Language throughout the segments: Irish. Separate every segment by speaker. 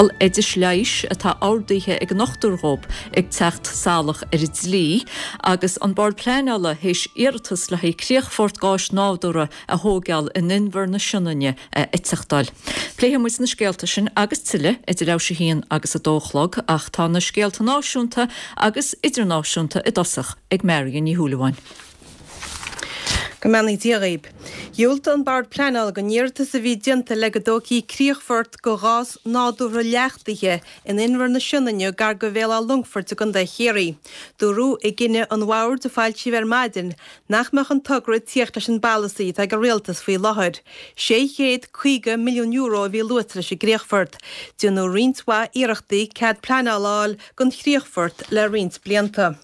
Speaker 1: Oidis leighis atá ordaithe ag an ndochtúir dhóibh ag teacht salach ar an dlí agus an Bord Pleanála théis iarratas le haghaidh críochfort gáis nádúrtha a thóigeáil in Inbhear na Sionainne a eiteachtáil. Pléifidh muid na scéalta sin agus tuilleadh idir leathuair théis a haon agus a dó a chlog ach tá na scéalta náisiúnta agus idirnáisiúnta i dtosach ag Marion Ní Shúilleabháin.
Speaker 2: Go mbeannaí Dia dhaoib. Dhiúltaigh an Bord Pleanála don iarratas a bhí déanta le go dtógfaí críochfort do ghás nádúrtha leachtaithe in Inbhear na Sionainne gar do Bhéal Átha Longfoirt i gContae Chiarraí. Dúradh i gcinneadh an Bhoird a foilsíodh ar maidin nach mbeadh an togra ag tíocht leis an bpolasaí atá ag an Rialtas faoi láthair. €650 milliún a bhí luaite leis an gcríochfort. Déanadh roinnt mhaith iarrachtaí cead pleanála a fháil don chríochfort le roinnt blianta.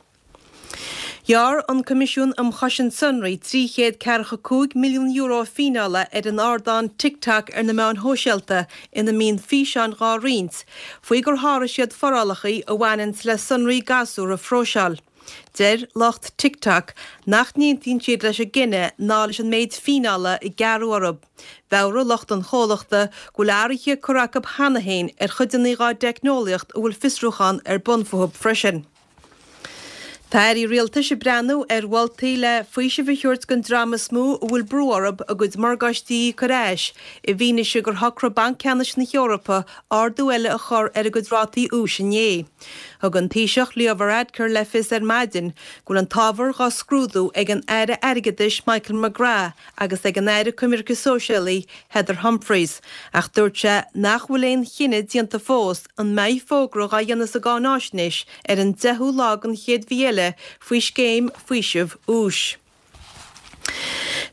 Speaker 2: Ghearr an Coimisiún um Chosaint Sonraí €345 milliún fíneála ar an ardán TikTok ar na meáin shóisialta ina mbíonn físeáin dhá roinnt, faoi gur sháraigh siad forálacha a bhaineanns le sonraí gasúr a phróiseáil. Deir lucht TikTok nach n-aontaíonn siad leis an gcinneadh ná leis an méid fíneála a gearradh orthu. Mheabhraigh lucht an chomhlachta go bhfuil athruithe curtha acu cheana féin ar chuideanna dhá dteicneolaíocht a bhfuil fiosrúchán ar bun fúthu freisin. Tá airí rialtais ag breathnú ar mholtaí le faoiseamh a thabhairt don dream is mó a bhfuil brú orthu a gcuid morgáistí a íoc ar ais i bhfianaise gur shocraigh Banc Ceannais na hEorpa ardú eile a chur ar a gcuid rátaí úis inné. Thug an Taoiseach Leo Varadkar le fios ar maidin go bhfuil an t-ábhar dhá scrúdú ag an Aire Airgeadais Michael McGrath agus ag an Aire Coimirce Sóisialaí Heather Humphreys ach dúirt sé nach bhfuil aon chinneadh déanta fós an mbeidh fógra dhá dhéanamh sa gcáináisnéis ar an 10ú lá den chéad mhí eile faoi scéim faoisimh úis.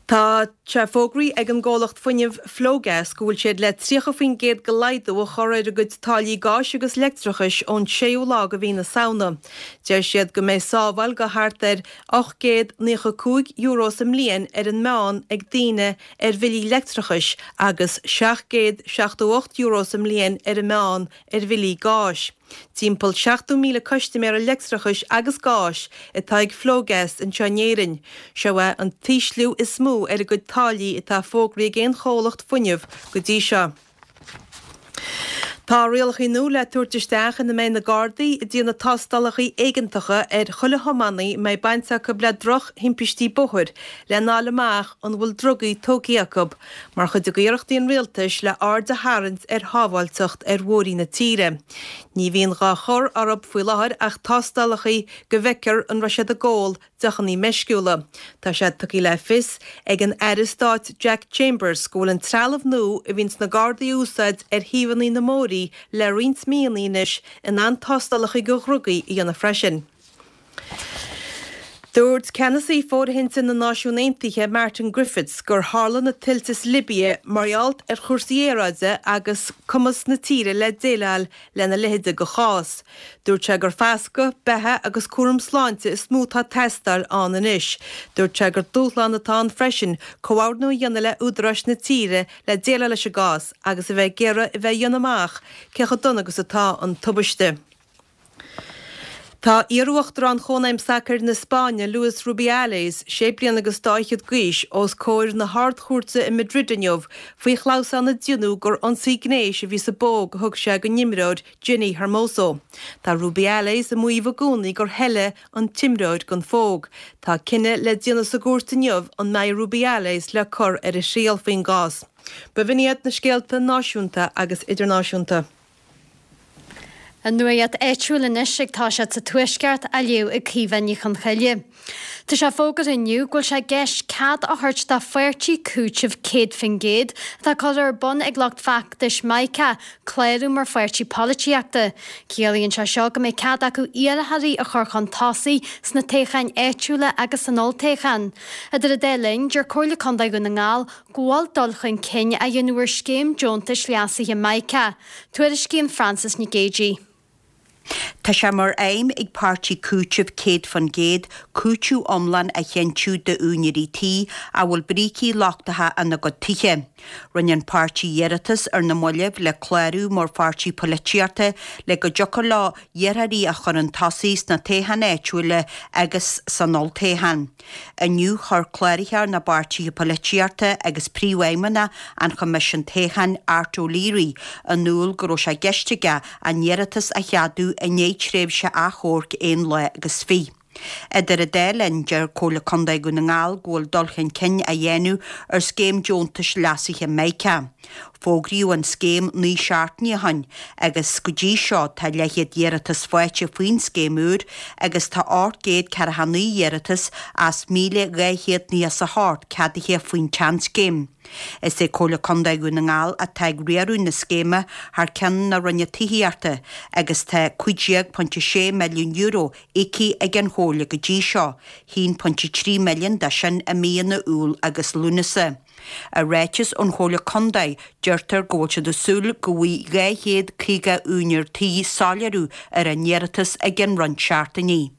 Speaker 2: Tá sé fógraithe ag an gcomhlacht fuinnimh Flogas go bhfuil siad le 30% de laghdú a chur ar a gcuid táillí gáis agus leictreachais ón 6ú lá de mhí na Samhna. Deir siad go mbeidh sábháil de thart ar €895 sa mbliain ar an meán ag daoine ar bhillí leictreachais agus €778 sa mbliain ar an meán ar bhillí gáis. Timpeall 70,000 custaiméara leictreachais agus gáis atá ag Flogas anseo in Éirinn. Seo é an t-ísliú is mó ar a gcuid táillí atá fógraithe ag aon chomhlacht fuinnimh go dtí seo. Tá rialacha nua le tabhairt isteach ina mbeidh na Gardaí ag déanamh tástálacha éigeantacha ar chuile thiománaí a mbeidh baint acu le droch-thimpistí bóthair lena fháil amach an bhfuil drugaí tógtha acu. mar chuid d'iarrachtaí an rialtais le aird a tharraingt ar shábháilteacht ar bhóithrí na tíre. Ní bhíonn dhá chur orthu faoi láthair ach tástálacha go bhfeicfear an raibh siad ag ól deochanna meisciúla. Tá sé tugtha le fios ag an Aire Stáit Jack Chambers go bhfuil an trealamh nua a bhíonns na Gardaí a úsáid ar thaobhanna na mbóithrí le roinnt míonna anois in ann tástálacha do dhrugaí a dhéanamh freisin. Dúirt ceannasaí fóirithinte na Náisiún Aontaithe Martin Griffiths gur tharla na tuilte sa Libia mar gheall ar chúrsaí aeráide agus cumas na tíre le déileáil lena leithéide de chás. Dúirt sé gur fascadh, beatha agus cúram sláinte is mó atá ag teastáil ann anois. Dúirt sé gur dúshlán atá ann freisin comhordnú a dhéanamh le údaráis na tíre le déileáil leis an gcás agus a bheith ag iarraidh a bheith a dhéanamh amach cé chomh dona agus atá an tubaiste. Tá iar-uachtarán Chónaidhm Sacair na Spáinne, Luis Rubiales, sé bliana agus dá fhichead d'aois, os comhair na hArd-Chúirte i Madrid inniu faoi chlamhsán a déanadh gur ionsaí gnéis a bhí sa bpóg a thug sé don imreoir Jenni Hermoso. Tá Rubiales ag maíomh i gcónaí gur thoiligh an t-imreoir don phóg. Tá cinneadh le déanamh sa gcúirt inniu an mbeidh Rubiales le cur ar a thriail faoin gcás. B'in iad na scéalta náisiúnta agus idirnáisiúnta.
Speaker 3: An nuacht áitiúil anois ag toiseacht sa Tuaisceart á léamh ag Caoimhe Ní Chonchoille. Tá sé fógartha inniu go bhfuil sé i gceist cead a thabhairt do pháirtí cúitimh 100% atá curtha ar bun ag lucht feachtais Micah clárú mar pháirtí polaitíochta. Ciallaíonn sé seo go mbeidh cead acu iarrthóirí a chur chun tosaigh sna toghcháin áitiúla agus san olltoghchán. Idir an dá linn, deir Comhairle Contae Dhún na nGall go bhfuil dul chun cinn á dhéanamh ar scéim deontais leasaithe Micah. Tuairiscíonn Frances Nic Géadaigh.
Speaker 4: Tá sé mar aidhm ag Páirtí Cúitimh 100% cúiteamh iomlán a chinntiú d'úinéirí tí a bhfuil brící lochtacha ina gcuid tithe. Rinne an páirtí iarratas ar na mallaibh le clárú mar pháirtí poilitíochta le go dtiocfadh leo iarrthóirí a chur chun tosaigh sna toghcháin áitiúla agus san olltoghchán. Inniu chuir Cláraitheoir na bPáirtithe Poilitíochta agus Príomhfheidhmeannach an Choimisiúin Toghcháin, Art O'Leary, in iúl go raibh sé i gceist aige an iarratas a cheadú i ndiaidh tréimhse achomhairc aon lá agus fiche. Idir an dá linn, deir Comhairle Contae Dhún na nGall go bhfuil dul chun cinn á dhéanamh ar scéim deontais leasaithe Mica. Fógraíodh an scéim 9 seachtainí ó shin agus go dtí seo tá leathchéad iarratas faighte faoin scéim úr agus tá 849 iarratas as 1,298 ceadaithe faoin tseanscéim. Is é Comhairle Contae Dhún na nGall atá ag riaradh na scéime thar ceann na Roinne Tithíochta agus tá €15.6 milliún íoctha ag an Chomhairle go dtí seo, 1.3 milliún de sin i míonna Iúil agus Lúnasa. I ráiteas ón Chomhairle Contae, deirtear go bhfuil siad ag súil go bhfaighidh 250 úinéir tí soiléiriú ar a n-iarratas i gcionn roinnt seachtainí.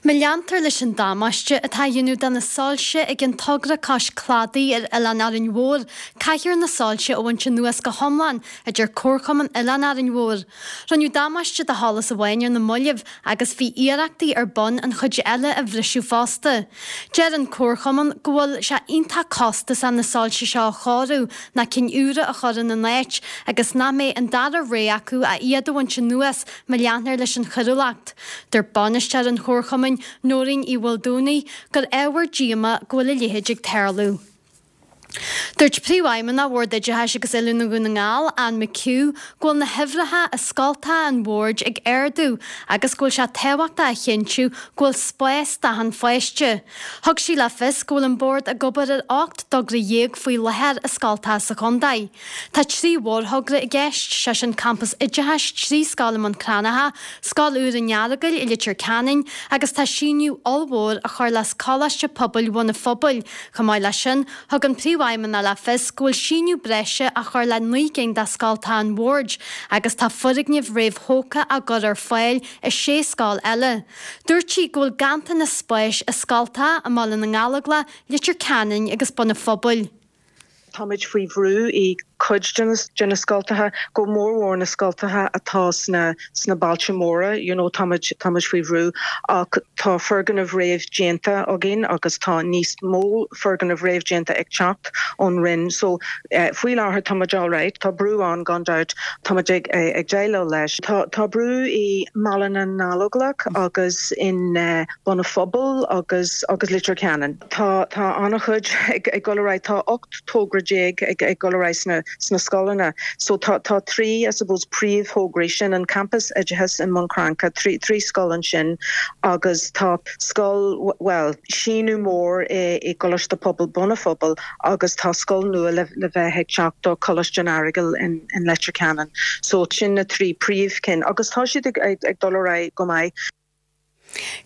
Speaker 3: Má leantar leis an damáiste atá á dhéanamh do na soilse ag an togra cois cladaigh ar Oileán Árainn Mhór, caithfear na soilse a bhaint anuas go hiomlán, a deir Comharchumann Oileán Árainn Mhór. Rinneadh damáiste do sholas amháin ar na mallaibh agus bhí iarrachtaí ar bun an chuid eile a bhriseadh fosta. Deir an Comharchumann go bhfuil sé iontach costasach na soilse seo a chóiriú ná cinn úra a chur ina n-áit agus nach mbeidh an dara rogha acu ach iad a bhaint anuas má leantar leis an choiriúlacht. Dúirt bainisteoir an Chomharchumainn, Nóirín Uí Mhaoldomhnaigh, gur ábhar díomá go bhfuil a leithéid ag tarlú. Dúirt Príomhfheidhmeannach Bhord Oideachais agus Oiliúna Dhún na nGall, Anne McHugh, go bhfuil na huimhreacha i scoltacha an bhoird ag ardú agus go bhfuil sé tábhachtach a chinntiú go bhfuil spás d'achan pháiste. Thug sí le fios go bhfuil an Bord ag obair ar 18 dtogra faoi láthair i scoltacha sa chontae. Tá 3 mhórthogra i gceist, sé sin Campas Oideachais 3 scoil i mBun Cranncha, scoil úr an Earagail i Leitir Ceanainn agus tá síneadh ollmhór á chur le Coláiste Pobail Bhun an Phobail. Chomh maith leis sin, thug an Príomhfheidhmeannach le fios go bhfuil síneadh breise á chur le 9 gcinn de scoltacha an Bhoird agus tá foirgnimh réamhthógtha á gcur ar fáil i sé scoil eile. Dúirt sí go bhfuil ganntanas spáis i scoltacha i mBaile na nGallóglach, Leitir Ceanainn agus Bun an Phobail.
Speaker 5: Táimid faoi bhrú i cuid de na scoltacha, go mórmhór na scoltacha atá sna sna bailte móra, you know, táimid táimid faoi bhrú ach tá foirgnimh réamh-déanta againn agus tá níos mó foirgnimh réamh-déanta ag teacht ón Roinn. So faoi láthair táimid alright. Tá brú ann gan dabht, táimid ag ag déileáil leis. Tá tá brú i mBaile na nGallóglach agus in Bun an Phobail agus agus Leitir Ceanainn. Tá tá an-chuid ag dul ar aghaidh. Tá 18 togra ag dul ar aghaidh sna sna scoileanna. So tá tá 3 I suppose príomhthograí, sin an Campas Oideachais i mBun Cranncha, 3 3 scoil ansin agus tá scoil bhuel síneadh mór i i gColáiste Pobail Bun an Phobail agus tá scoil nua le le bheith ag teacht do Choláiste an Earagail in in Leitir Ceanainn. So sin na 3 príomhchinn agus tá siad ag ag ag dul ar aghaidh go maith.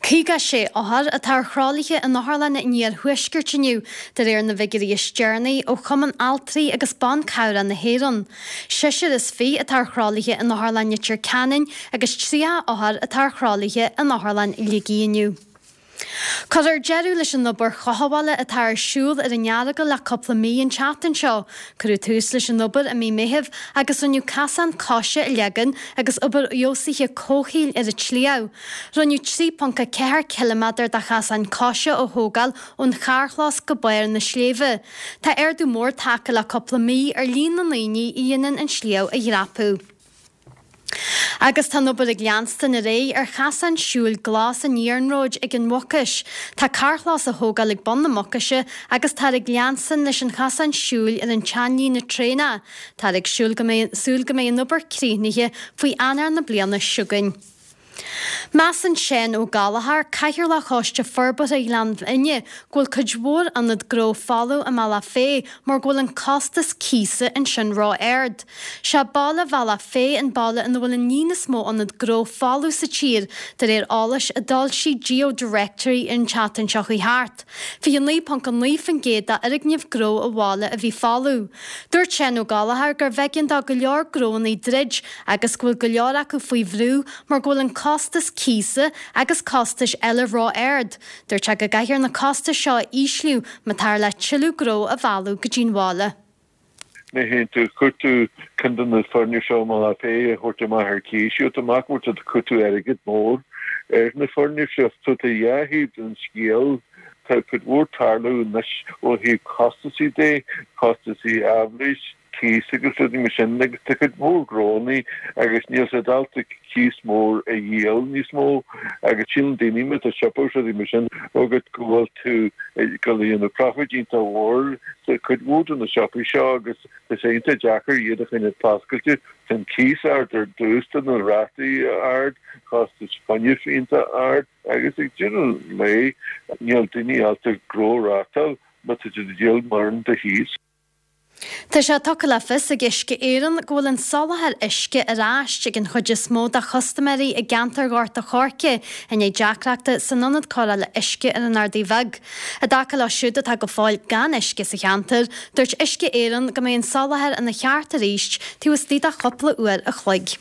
Speaker 3: 56 othar atá ar thralaithe in otharlanna an iarthuaiscirt inniu, de réir na bhfigiúirí is deireanaí ó Chumann Altraí agus Ban Cabhrach na hÉireann. Seisear is fiche atá ar thralaithe in Otharlann Leitir Ceanainn agus 30 othar atá ar thralaithe in Otharlann Shligigh inniu. Cuirfear deireadh leis an obair chothabhála atá ar siúl ar an Earagail le cúpla mí an tseachtain seo. Cuireadh tús leis an obair i mí Meithimh agus rinneadh casán coise a leagan agus obair fheabhsaithe comhshaoil ar an tsliabh. Rinneadh 3.4 ciliméadar de chasán coise a thógáil ón charrchlós go barr na sléibhe. Tá ardú mór tagtha le cúpla mí ar líon na ndaoine a dhéanann an sliabh a dhreapadh. Agus tá an obair ag leanstan ar aghaidh ar chasán siúil glas an iarnróid ag an Mhucais. Tá carrchlós á thógáil ag bun na Mucaise agus táthar ag leanstan leis an chasán siúil ar an tseanlíne traenach. Táthar ag siúl go mbeidh súil go mbeidh an obair críochnaithe faoi Eanáir na bliana seo chugainn. Measann Seán Ó Gallchóir, Cathaoirleach Choiste Forbartha Ghleann Fhinne, go bhfuil cuid mhór ionad gnó folamh i mBealach Féich mar go bhfuil an costas cíosa ansin ró-ard. Sé baile Bhealach Féich an baile ina bhfuil an líon is mó ionad gnó folamh sa tír, de réir eolais a d'fhoilsigh GeoDirectory an tseachtain seo chuaigh thart. 29.9% d'fhoirgnimh gnó an bhaile a bhí folamh. Dúirt Seán Ó Gallchóir gurbh éigean do go leor gnóanna druid agus go bhfuil go leor acu faoi bhrú mar go bhfuil an costas cíosa agus costais eile ró-ard. Dúirt sé go gcaithfear na costais seo a ísliú má táthar le tuilleadh gnó a mhealladh go dtí'n bhaile.
Speaker 6: Má théann tú, chuir tú ceann de na foirgnimh seo i mBealach Féich a thabhairt amach ar cíos, gheobhaidh tú amach go bhfuil tú ag cúiteamh airgead mór ar na foirgnimh seo. So tá dhá thaobh den scéal. Tá cuid mhór tarlú anois ó thaobh costasaí de, costasaí aibhléis, cíos agus rudaí mar sin agus tá cuid mhór gnóannaí agus níl siad ábalta cíos mór a dhíol níos mó agus síleann daoine má tá siopa agus rudaí mar sin agat go bhfuil tú ag dul a dhéanamh profit iontach mhór sa cuid mhór de na siopaí seo agus tá sé iontach deacair iad a choinneáil oscailte. Tá an cíos ard ar dtús, tá na rátaí ard, costas fuinnimh iontach ard agus ag deireadh an lae níl daoine ábalta gnó a reáchtáil má tá siad ag díol mórán de chíos.
Speaker 3: Tá sé tugtha le fios ag Uisce Éireann go bhfuil an soláthar uisce ar ais ag an chuid is mó de chustaiméirí i gceantar Ghort a' Choirce i ndiaidh deacrachta san ionad cóireála uisce ar an Ardaidh Bheag. I dtaca leo siúd atá go fóill gan uisce sa cheantar, dúirt Uisce Éireann go mbeidh an soláthar ina cheart arís taobh istigh de chúpla uair a chloig.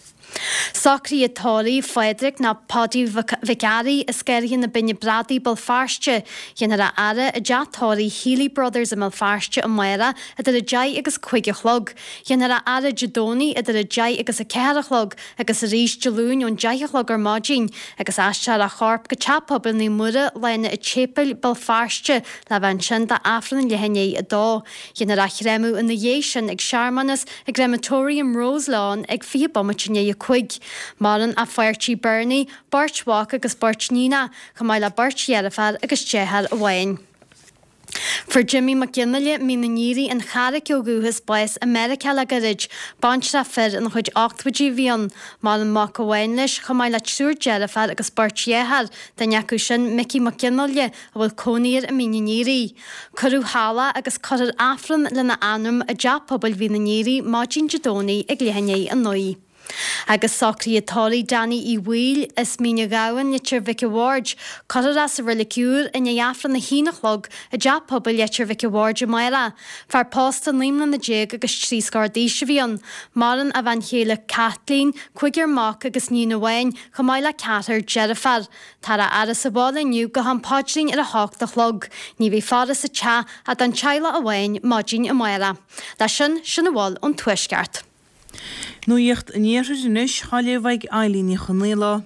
Speaker 3: Socruithe tórraimh Phádraig nó Paudie Mhic Fhearraigh as Garraithe na Binne Bradaí, Béal Feirste. Dhéanfar a fhaire i dteach tórraimh Healy Brothers i mBéal Feirste amárach idir 10 agus 5 a chlog. Dhéanfar a fhaire Dé Domhnaigh idir 10 agus 4 a chlog agus arís Dé Luain ón 10 a chlog ar maidin agus aistreofar a chorp go Teach Pobail Naomh Muire, Lána an tSéipéil, Béal Feirste le bheith ansin d'Aifreann leath i ndiaidh 2. Dhéanfar a chréamadh ina dhiaidh sin ag searmanas i gCrematorium Roselawn ag 20 bomaite i ndiaidh 5. Maireann a pháirtí Bernie, beirt mhac agus beirt níonach, chomh maith le beirt dheirféar agus deartháir amháin. Fuair Jimmy Mac Fhionnghaile, Mín an Fhíoraigh, an Charraic ó dhúchas, bás i Meiriceá le gairid. Baintreach fir ina chuid ochtóidí a bhí ann. Maireann mac amháin leis, chomh maith le triúr deirféar agus beirt dheartháir, duine acu sin Micí Mac Fhionnghaile, a bhfuil cónaí air i Mín an Fhíoraigh. Cuireadh thall é agus cuirfear Aifreann lena anam i dTeach Pobail Mhín an Fhíoraigh maidin Dé Domhnaigh ag leath i ndiaidh 9. Agus socruithe tórraimh Danny Uí Bhaoill as Mín an Ghabhann, Leitir Mhic a' Bhaird, cuirfear é sa Reilig Úr i ndiaidh Aifreann a haon a chlog i dTeach Pobail Leitir Mhic a' Bhaird amárach. Fear pósta 19 mbliana agus trí scór d'aois a bhí ann. Maireann a bhean chéile Kathleen, cúigear mac agus níon amháin, chomh maith le ceathrar deirféar. Táthar á fhaire sa bhaile inniu go ham paidrín ar a hocht a chlog. Ní bheidh faire sa teach ach don teaghlach amháin maidin amárach. Leis sin, sin a bhfuil ón Tuaisceart.
Speaker 7: Nuacht an Iarthair anois, á léamh ag Eilín Ní Chonaola.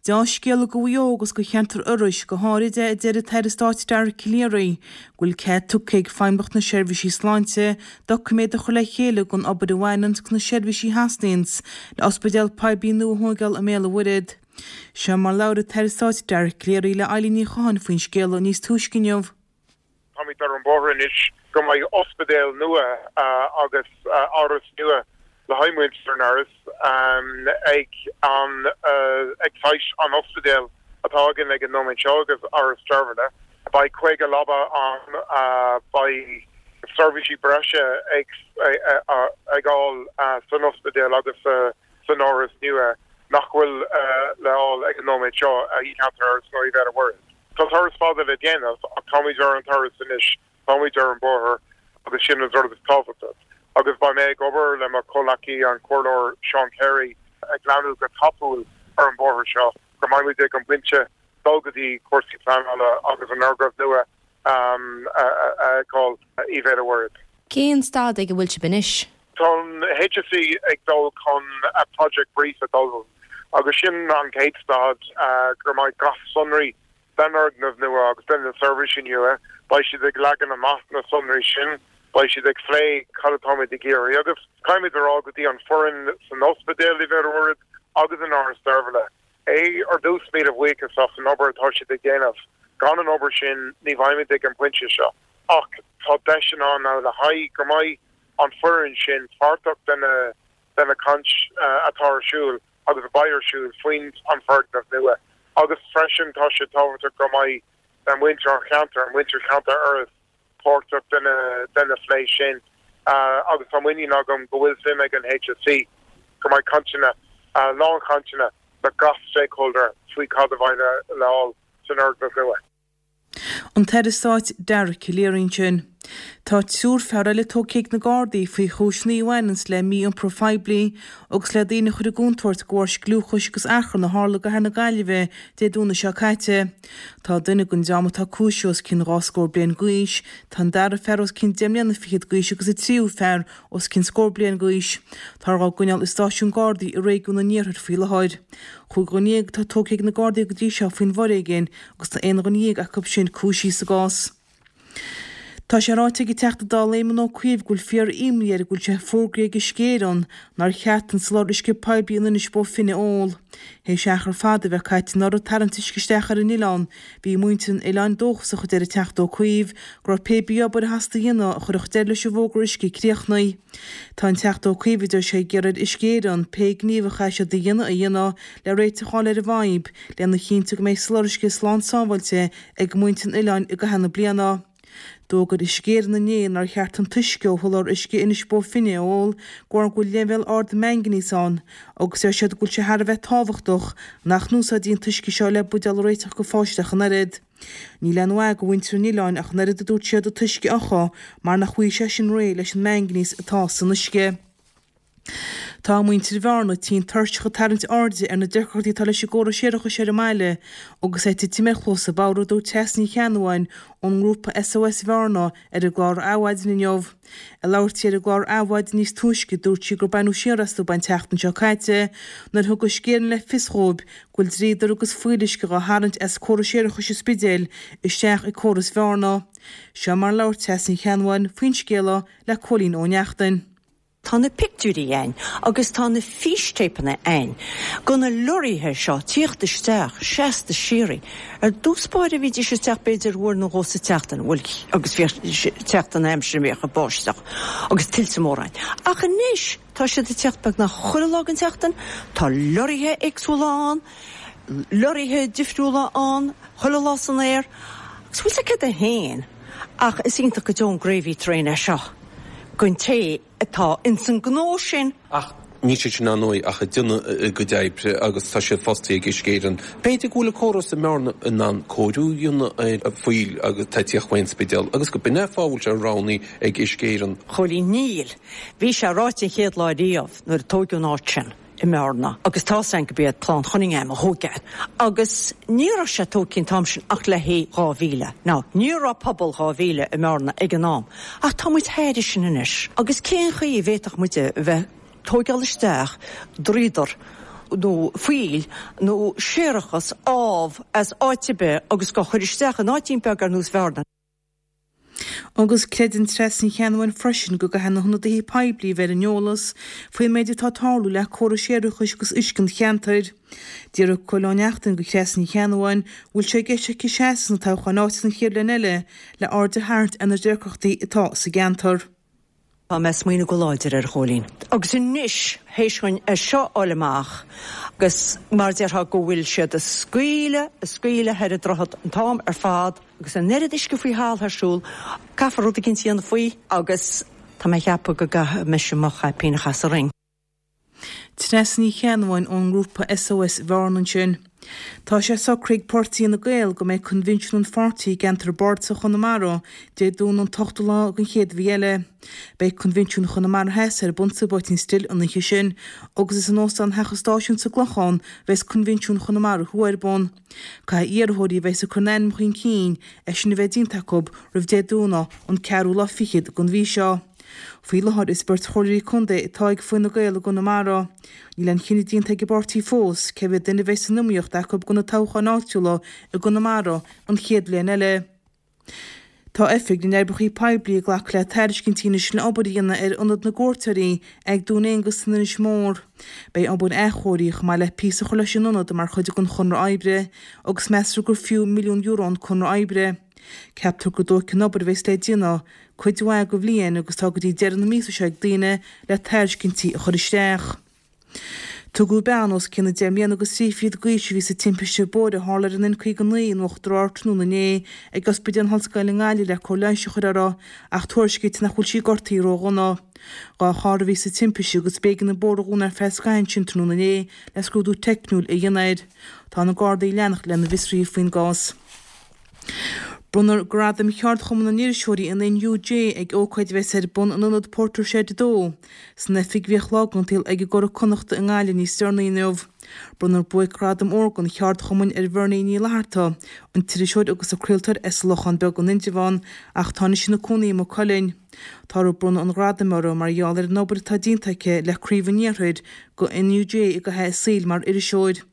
Speaker 7: Deá-scéala do Mhaigh Eo agus do cheantar Iorrais go háirid é a deir an tAire Stáit Dara Calleary go bhfuil cead tugtha ag Feidhmeannacht na Seirbhísí Sláinte doiciméad a chur le chéile don obair a bhaineanns leis na seirbhísí a theastaíonns le ospidéal poiblí nua a thóigeáil i mBéal an Mhuirthead. Seo mar labhair an tAire Stáit Dara Calleary le Eilín Ní Chatháin faoin scéala níos túisce inniu.
Speaker 8: Táimid ar an bhóthar anois go mbeidh ospidéal nua agus áras nua le haghaidh muintir an Iorrais ag an ag site an ospidéil atá againn ag an nóiméad seo agus Áras Deirbhile. Beidh 50 leaba ann, beidh seirbhísí breise ag ag fháil san ospidéal agus sa san áras nua nach bhfuil le fháil ag an nóiméad seo i gceantar Iorrais nó i Bhéal an Mhuirthead. Tá turas fada le déanamh ach táimid ar an turas anois, táimid ar an bóthar agus sin an rud is tábhachtaí. Agus beidh mé ag obair le mo chomhleacaí an Comhairleoir Seán Carey ag leanúint go tapúil ar an bóthar seo go mbeimid ag an bpointe dul go dtí cúrsaí pleanála agus an fhoirgneamh nua a fheiceáil i Bhéal an Mhuirthead.
Speaker 9: Cén staid ag a bhfuil sibh anois?
Speaker 8: Tá an HSE ag dul chun a project brief a d'ullmhú agus sin an chéad staid go mbeidh gach sonraí den fhoirgneamh nua agus den na seirbhísí nua, beidh siad ag leagan amach na sonraí sin, beidh siad ag phlé cad atáimid ag iarraidh agus caithfimid a rá go dtí an foireann san ospidéal i Bhéal an Mhuirthead agus in Áras Deirbhile é ar dtús míle buíochas as an obair atá siad ag déanamh. Gan an obair sin ní bheimid ag an bpointe seo ach tá deiseanna ann le haghaidh go mbeidh an foireann sin páirteach de na de na caint atá ar siúl. agus a bheidh ar siúl faoin an foirgneamh nua agus freisin tá sé tábhachtach go mbeidh muintir an cheantair, muintir cheantar Iorrais páirteach de na phlé sin agus tá muinín agam go bhfuil suim ag an HSE go mbeidh cainteanna, lánchainteanna le gach stakeholder faoi cad a bheidh le fáil san fhoirgneamh nua.
Speaker 7: An tAire Stáit Dara Calleary ansin. Tá triúr fear eile tógtha ag na Gardaí faoi chúiseanna a bhaineanns le mí-iompar phoiblí agus le daoine a chur i gcontúirt de bharr scliúchais agus achrann a tharla i gcathair na Gaillimhe Dé Domhnaigh seo caite. Tá duine den dream atá cúisithe os cionn dhá scór bliain d'aois, tá an dara fear os cionn deich mbliana fichead d'aois agus an tríú fear os cionn scór bliain d'aois. Táthar á gcoinneáil i stáisiún Gardaí i réigiún an Iarthair faoi láthair. Chúig dhuine dhéag atá tógtha ag na Gardaí go dtí seo faoin bhforéigean agus tá aon dhuine dhéag acu sin cúisithe sa gcás. Tá sé ráite ag an Teachta Dála Éamon Ó Cuív go bhfuil fíor-imní air go bhfuil sé fógraithe ag Uisce Éireann nár cheart an soláthar uisce poiblí in Inis Bó Finne a ól. Théis achar fada a bheith caite anuraidh ag tarraingt uisce isteach ar an oileán, bhí muintir an oileáin dóchasach, a deir an Teachta Ó Cuív, go raibh pé bí obair a theastaigh a dhéanamh a chuirfeadh deireadh leis an bhfógra uisce críochnaithe. Tá an Teachta Ó Cuív, a deir sé, ag iarraidh ar Uisce Éireann pé gníomh a chaithfidh siad a dhéanamh a dhéanamh le réiteach a fháil ar an bhfadhb, lena chinntiú go mbeidh soláthar uisce slán sábháilte ag muintir an oileáin i gcaitheamh na bliana. D'fhógair Uisce Éireann inné nár cheart an t-uisce ó sholáthar uisce Inis Bó Finne a ól de bharr go bhfuil leibhéal ard mangainíos ann agus deir siad go bhfuil sé thar a bheith tábhachtach nach n-úsáidfí an t-uisce seo le buidéal a réiteach go pháistí ach an oiread. Níl aon mhaith go mhuintir an oileáin ach an oiread a dúirt siad an t-uisce a fhiuchadh mar nach bhfaighidh sé sin réidh leis an mangainíos atá san uisce. Tá muintir Bhearna tinn tuirseach ag tarraingt airde ar na deacrachtaí atá leis an gcóras séarachais ar an mbaile agus é ag titim ar chluasa bodhar a dúirt Treasa Ní Cheannabháin ón ngrúpa SOS Bhearna ar an gclár Adhmhaidin inniu. Ag labhairt di ar an gclár Adhmhaidin níos túisce dúirt sí gur baineadh siar astu an tseachtain seo caite nuair a thug Uisce Éireann le fios dhóibh go bhfuil dríodar agus fuíolluisce dhá tharraingt as córas séarachais an Spidéil isteach i córas Bhearna. Seo mar a labhair Treasa Ní Cheannabháin faoin scéala le Cóilín Ó Neachtain.
Speaker 10: Tá na pictiúirí a'inn agus tá na fístéipeanna a'inn go na lorraithe seo tíocht isteach seasta síoraí. Ar dtús báire bhídís ag teacht b'fhéidir uair nó dhó sa tseachtain, bhuel agus bhíodh teacht an aimsir a mbíodh ag báisteach agus tuilte móra ann. Ach anois tá siad ag teacht beagnach chuile lá den tseachtain, tá lorraithe éagsúla ann, lorraithe difriúla ann chuile lá san aer agus bhfuil 's agat céard é féin ach is iontach go deo an gravy train é seo don té atá ins an gnó sin.
Speaker 11: Ach níl siad sin ar ndóigh ach ag déanamh a gcuid oibre agus tá siad fostaithe ag Uisce Éireann. B'fhéidir go bhfuil an córas i mBearna in ann cóiriú a dhéanamh ar an fuíoll agus atá ag tíocht ón Spidéal agus go b'in é an fáth a bhfuil sé roghnaithe ag Uisce Éireann.
Speaker 10: Chóilín, Níl. Bhí sé ráite an chéad lá riamh nuair a tóigeadh an áit sin. i mBearna agus tá's a'inn go b'iad Clann Chunningham a thóg é agus ní raibh sé tógtha an t-am sin ach le haghaidh 2,000. Now, ní raibh pobal 2,000 i mBearna ag an am ach tá muid thairis sin anois agus cén chaoi a bhféadfadh muid a bheith tóigeáil isteach dríodar nó fuíoll nó séarachas amh as áit ar bith agus dhá chur isteach in áitín beag ar nós Bhearna.
Speaker 7: Agus creideann Treasa Ní Cheannabháin freisin go gcaithfidh na hionadaithe poiblí a bheith ar an eolas faoin méid atá ag tarlú le córais séarachais agus uisce an cheantair. D'fhiafraigh Cóilín Ó Neachtain de Threasa Ní Cheannabháin an bhfuil sé i gceist aici seasamh sna toghcháin áitiúla an chéad bhliain eile le aird a tharraingt ar na deacrachtaí atá sa gceantar.
Speaker 10: Tá mé ag smaoineamh go láidir air, a Chóilín. Agus anois, théis dhuinn é seo a fháil amach, agus mar déarfá go bhfuil siad ag scaoileadh, ag scaoileadh thoir an droichead an t-am ar fad, agus an oiread uisce faoi thalamh ar siúl, caithfear rud eicínt a dhéanamh faoi, agus tá mé ag ceapadh go gcaithfidh mise mo chaipín a chaitheamh sa ring.
Speaker 7: Treasa Ní Cheannabháin ón ngrúpa SOS Bhearna ansin. Tá sé socraithe ag Páirtí Fhine Gael go mbeidh coinbhinsiún an pháirtí i gceantar Bardasach Chonamara Dé Domhnaigh an t-ochtú lá den chéad mhí eile. Beidh coinbhinsiún Chonamara Theas ar bun sa bPoitín Stil an oíche sin agus is in Óstán Theach an Stáisiúin sa gClochán a bheas coinbhinsiún Chonamara Thuaidh ar bun. Caithfidh iarrthóirí a bheas ag cur a n-ainm chun cinn é sin a bheith déanta acu roimh Dé Domhnaigh an ceathrú lá fichead den mhí seo. Faoi láthair is beirt chomhairleoirí contae atá ag Fine Gael i gConamara. Níl aon chinneadh déanta ag an bpáirtí fós cé mhéad duine a bheidh san iomaíocht acu do na toghcháin áitiúla i gConamara an chéad bhliain eile. Tá Oifig na nOibreacha Poiblí ag glacadh le tairiscintí anois le obair a dhéanamh ar Ionad na gCuairteoirí ag Dún Aonghasa san Inis Mór. Beidh obair athchóirithe chomh maith le píosa a chur leis an ionad mar chuid den chonradh oibre agus meastar gur fiú €1,000,000 an conradh oibre. Ceaptar go dtógfaidh an obair a bheas le déanamh cuid mhaith de bhliain agus tá go dtí deireadh na míosa seo ag daoine le tairiscintí a chur isteach. Tugadh bean os cionn 10 mbliana agus 3 fichid d'aois a bhí sa timpiste bóthair a tharla ar an N59 in Uachtar Ard tráthnóna inné ag Ospidéal na hOllscoile i nGaillimh le cóir leighis a chur uirthi ach tuairiscítear nach bhfuil sí gortaithe ródhona. 2 charr a bhí sa timpiste agus b'éigean an bóthar a dhúnadh ar feadh scaithimh ansin tráthnóna inné le scrúdú teicniúil a dhéanamh air. Tá na Gardaí ag leanacht lena bhfiosruithe faoin gcás. Bronnfar Gradaim Cheardchumann na nIriseoirí, an NUJ, ag ócáid a bheas ar bun in Ionad Portershed 2, san oifig a bhíodh lá den tsaol ag an gCuradh Connachta i nGaillimh níos deireanaí inniu. Bronnfar Buaic-Ghradam Órga an Cheardchumainn ar Bhernie Ní Fhlatharta, an t-iriseoir agus an craoltóir as an Lochán Beag in Indreabhán ach atá anois ina cónaí i Maigh Cuilinn. Táthar ag bronnadh an ghradaim uirthi mar gheall ar an obair atá déanta aici le Craobh an Iarthair go NUJ i gcaitheamh a saoil mar iriseoir.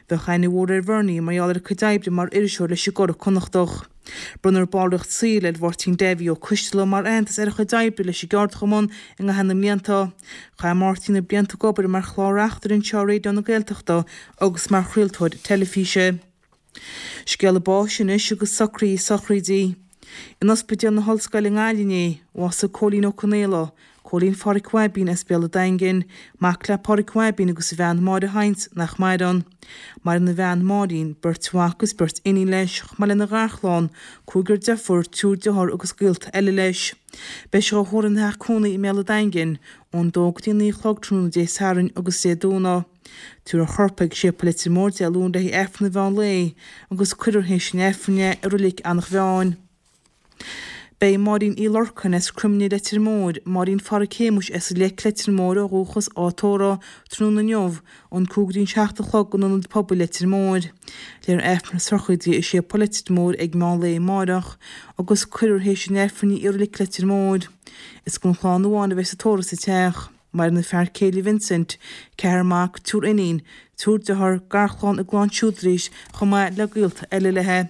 Speaker 7: Bheadh aithne mhór ar Bhernie mar gheall ar a cuid oibre mar iriseoir leis an gCuradh Connachtach. Bronnfar ballraíocht saoil ar Mháirtín Davy Ó Coisteala mar aitheantas ar a chuid oibre leis an gceardchumann i gcaitheamh na mblianta. Chaith Máirtín na blianta ag obair mar chlár-reachtaire anseo ar Raidió na Gaeltachta agus mar chraoltóir teilifíse. Scéala báis anois agus socruithe sochraide. In Ospidéal na hOllscoile i nGaillimh inné, bhásaigh Cóilín Ó Conaola, Cóilín Pháraic Bhaibín as Béal an Daingin, mac le Páraic Bhaibín agus a bhean Máire Hynes, nach maireann. Maireann a bhean Máirín, beirt mhac agus beirt iníon leis, chomh maith lena gharchlann, cúigear deirfiúr, triúr dearthár agus gaolta eile leis. Beidh sé á thórramh ina theach cónaí i mBéal an Daingin, ón dó go dtí a naoi a chlog tráthnóna Dé Sathairn agus Dé Domhnaigh. Tabharfar a chorp ag Séipéal Leitir Móir Dé Luain le haghaidh Aifreann an mheán lae agus cuirfear théis an Aifrinn é i Roilic Eanach Mheáin. Beidh Máirín Uí Lorcáin as Croimne Leitir Móir, Máirín Pháraic Shéamuis as an Leic Leitir Móir ó dhúchas, á tórramh tráthnóna inniu ón 5 go dtí an 7 a chlog in Ionad Pobail Leitir Móir. Léifear Aifreann na sochraide i Séipéal Leitir Móir ag meán lae amáireach agus cuirfear théis an Aifrinn í i Roilic Leitir Móir. Is don chlann amháin a bheas an tórramh sa teach. Maireann a fear céile Vincent, ceathrar mac, triúr iníon, triúr dearthár, garchlann a gclann siúd arís chomh maith le gaolta eile léi.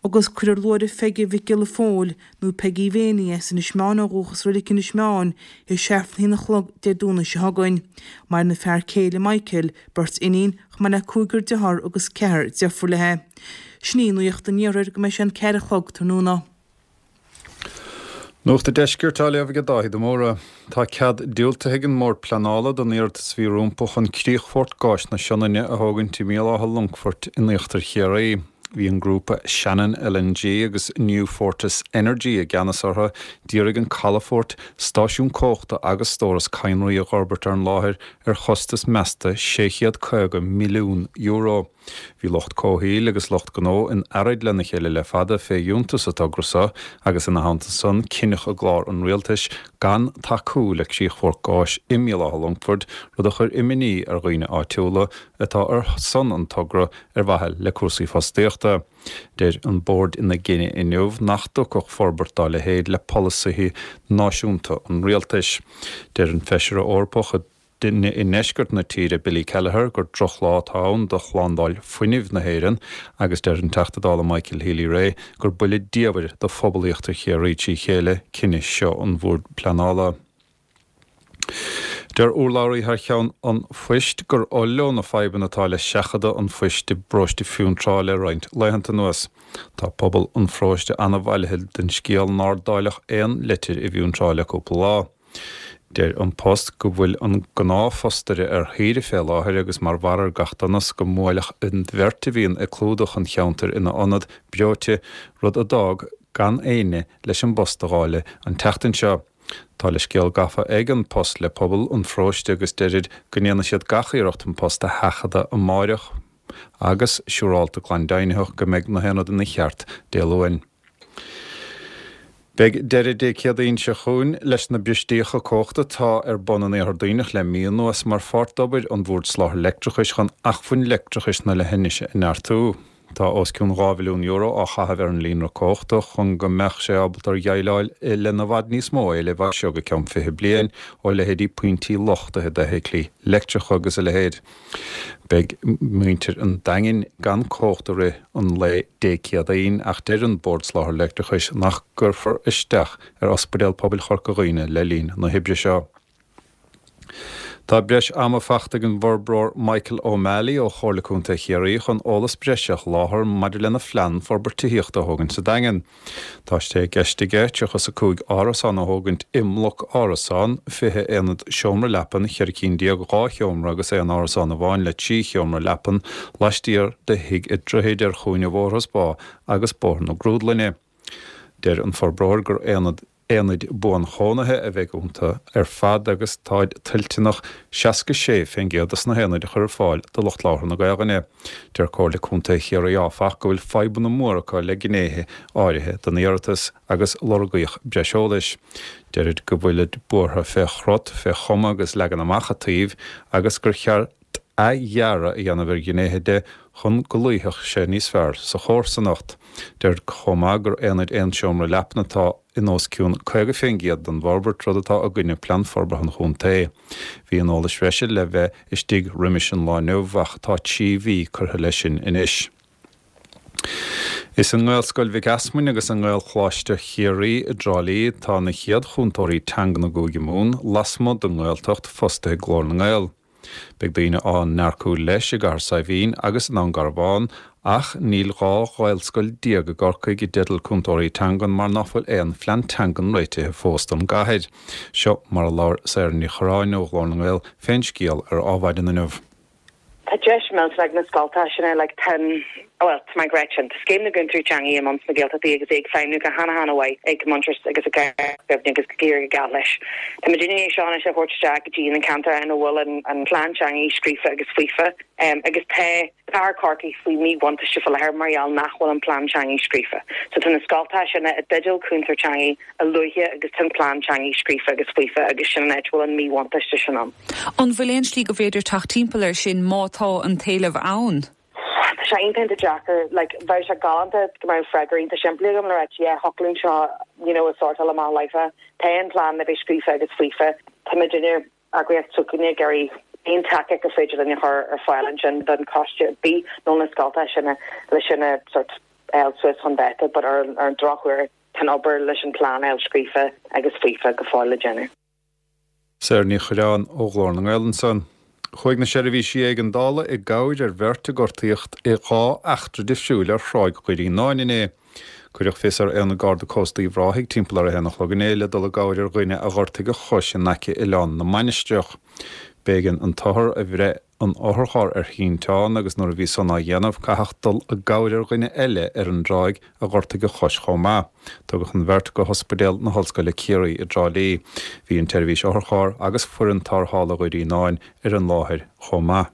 Speaker 7: Agus cuirfear luaithreamh Pheige Mhic Giolla Phóil, nó Peigí Mhéiní as Inis Meáin ó dhúchas i Roilic Inis Meáin, théis Aifreann a haon a chlog Dé Domhnaigh seo chugainn. Maireann a fear céile Michael, beirt iníon, chomh maith le cúigear dearthár agus ceathrar deirfiúr léi. Sin í Nuacht an Iarthair go mbeidh sé an ceathair a chlog tráthnóna.
Speaker 12: Nuacht an Deiscirt á léamh ag Dáithí de Mórdha. Tá cead diúltaithe ag an mBord Pleanála don iarratas a bhí rompu chun críochfort gáis na Sionainne a thógaint i mBéal Átha Longfoirt in íochtar Chiarraí. Bhí an grúpa Shannon LNG agus New Fortis Energy i gceannas orthu d'iarraidh an calafort, stáisiún cumhachta agus stóras cadhnraí a dh'fhorbairt ar an láthair ar chostas measta €650 milliún. Bhí lucht comhshaoil agus lucht gnó in earraid lena chéile le fada fé fhiúntas an togra so agus ina theannta san cinneadh i gclár an rialtais gan tacú le críochfort gáis i mBéal Átha Longfoirt, rud a chuir imní ar dhaoine áitiúla atá ar son an togra ar mhaithe le cúrsaí fostaíochta. Deir an Bord ina gcinneadh inniu nach dtiocfadh forbairt dá leithéid le polasaithe náisiúnta an rialtais. Deir an Feisire Eorpach i i ndeisceart na tíre, Billy Kelleher, gur drochlá atá ann do shlándáil fuinnimh na hÉireann agus deir an Teachta Dála Michael Healy-Rae gur buille diamhair do phobal Íochtar Chiarraí trí chéile cinneadh seo an Bhoird Pleanála. Deir urlabhraí thar cheann An Phoist gur oth leo na fadhbanna atá le seachadadh an phoist i bparóiste Fionntrá le roinnt laethanta anuas. Tá pobal an pharóiste an-bhailithe den scéal nár dáileadh aon leitir i bhFionntrá le cúpla lá. Deir An Post go bhfuil an gnáthphostaire ar shaoire fé láthair agus mar bharr ar gach donas go mbuailfeadh an bheirt a bhíonn ag clúdach an cheantair ina ionad breoite, rud a d'fhág gan éinne leis an bpost a dháileadh an tseachtain seo. Tá leithscéal gafa ag An Post le pobal an pharóiste agus deirid go ndéanfaidh siad gach iarracht an post a sheachadadh amáireach agus siúrálta glan deimhnitheach go mbeidh na haon rud ina cheart Dé Luain. Beidh deireadh Dé Céadaoin seo chugainn leis na bristíocha cumhachta atá ar bun in Iarthar Duibhneach le mí anuas mar pháirt d'obair an Bhoird Soláthair Leictreachais chun acmhainn leictreachais na leithinise a neartú. Tá os cionn €2 mhilliún á chaitheamh ar an líonra cumhachta chun go mbeadh sé ábalta ar dhéileáil lena bhfad níos mó éilimh as seo go ceann 20 bliain ó leithéidí pointí luchtaithe d'fheithiclí leictreacha agus a leithéid. Beidh muintir an Daingin gan cumhacht i rith an lae Dé Céadaoin ach deir an Bord Soláthair Leictreachais nach gcuirfear isteach ar Ospidéal Pobail Chorca Dhuibhne le linn na hoibre seo. Tá breis ama fachta ag an bhforbróir Michael O'Malley ó Chomhairle Contae Chiarraí chun eolas breise a sholáthar maidir lena phlean forbairt tithíochta a thógaint sa Daingean. Tá sé i gceist aige 35 árasán a thógaint i mbloc árasán, 20 aonad seomra leapan, 14 cinn dhá sheomra agus aon árasán amháin le trí sheomra leapan laistiar de Thigh a' Droichid ar chúinne Bhóthar an Spá agus Bóthar na Grúdlainne. Deir an forbróir gur aonad Aonaid buanchónaithe a bheidh iontu ar fad agus táid toilteanach 66% de na haonaid a chur ar fáil do lucht labhartha na Gaelainne. Deir Comhairle Contae Chiarraí áfach go bhfuil fadhbanna móra acu le gnéithe áirithe den iarratas agus lorgaíodh breis eolais. Deirid go bhfuilid buartha fé chrut, fé chuma agus leagan amach a' tsuímh agus gur cheart athdhearadh a dhéanamh ar ghnéithe de chun go luífeadh sé níos fearr sa chomharsanacht. Deirid chomh maith gur aonaid aon seomra leapan atá in os cionn 50% den bhforbairt, rud atá i gcoinne Plean Forbartha an Chontae. Bhí an eolas bhreise le bheith istigh roimis an lá inniu ach tá 3 mhí curtha leis sin anois. Is i nGaelscoil Mhic Easmainn agus i nGaelcholáiste Chiarraí i dTrá Lí atá na chéad chúntóirí teangan i gCúige Mumhan lasmuigh den nGaeltacht fostaithe ag Glór na nGael. Beidh daoine á n-earcú leis i gCathair Saidhbhín agus i nDún Garbhán ach níl 12 Ghaelscoil i gCorcaigh i dteideal cúntóirí teangan mar ná fuil aon phlean teangan réitithe fós don gcathair. Seo mar a labhair Sarah Ní Churráin ó Ghlór na nGael fén scéal ar Ádhmhaidin inniu.
Speaker 13: Tá deis millteanach ag na scoltacha sin like tá an, bhuel, tá mé ag ráit sin, tá Scéim na gCúntóirí Teanga i mbun sna Gaeltachtaí agus é ag feidhmiú go hana-hana-mhaith ag Muintearas agus i gCorca Dhuibhne agus ag éirí go geal leis. Tá muid i ndiaidh é seo anois a thabhairt isteach go dtí na ceantair ina bhfuil an an plean teanga scríofa agus faofa agus tá cathair Chorcaí faoi mhíbhuntáiste faoi láthair mar gheall nach bhfuil an plean teanga scríofa. So tá na scoltacha sin i dteideal cúntóir teanga a luaithe agus tá an plean teanga scríofa agus faofa agus sin an áit a bhfuil an míbhuntáiste sin ann.
Speaker 14: An bhfuil aon slí go bhféidir teacht timpeall air sin má tá an t-éileamh ann?
Speaker 13: Tá sé iontach iontach deacair. Like, bheadh sé galánta go mbeadh freagra iontach simplí agam le ráit, yeah, thiocfadh linn seo, you know, a sortáil amach láithreach. Tá an plean le bheith scríofa agus faofa. Tá muidinne, eagraíocht s'againne, ag iarraidh aon tacaíocht gur féidir linn a chur ar fáil ansin don choiste ar bith nó na scoltacha sin le sin a sort fháil suas chun dáta but ar an drochuair tá an obair leis an plean a fháil scríofa agus faofa go fóill le déanamh.
Speaker 12: Sarah Ní Chuirreáin ó Ghlór na nGael ansan. Chuaigh na seirbhísí éigeandála i gcabhair ar bheirt a gortaíodh i dha eachtra difriúil ar Thráigh Dhoirí Fhíonáin inné. Cuireadh fios ar Aonad Garda Cósta Uíbh Ráthaigh timpeall ar a haon a chlog inné le dul i gcabhair ar dhuine a ghortaigh a chois in aice Oileán na Mainistreach. B'éigean an t-othar a bhreith an otharcharr ar shínteán agus nuair a bhí san á dhéanamh caitheadh dul i gcabhair ar dhuine eile ar an dtráigh a ghortaigh a chois chomh maith. Tugadh an bheirt go hOspidéal na hOllscoile Ciarraí i dTrá Lí. Bhí an tseirbhís otharcharr agus foireann tarrthála Dhoirí Fhíonáin ar an láthair chomh maith.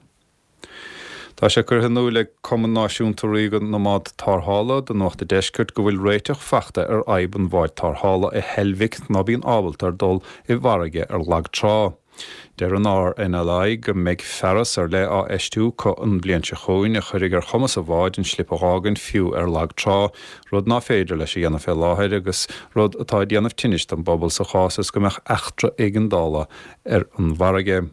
Speaker 12: Tá sé curtha in iúil ag Cumann Náisiúnta Ríoga na mBád Tarrthála do Nuacht a' Deiscirt go bhfuil réiteach fachta ar fhadhb an bháid tarrthála i Heilbhic ná bíonn ábalta ar dul i bhfarraige ar lag trá. Deir an RNLI go mbeidh fearas ar leith á fheistiú acu an bhliain seo chugainn a chuirfidh ar chumas an bháid an slip a dh'fhágaint fiú ar lag trá, rud ná féidir leis a dhéanamh fé láthair agus rud atá ag déanamh tinnis don bpobal sa chás is go mbeadh eachtra éigeandála ar an bhfarraige.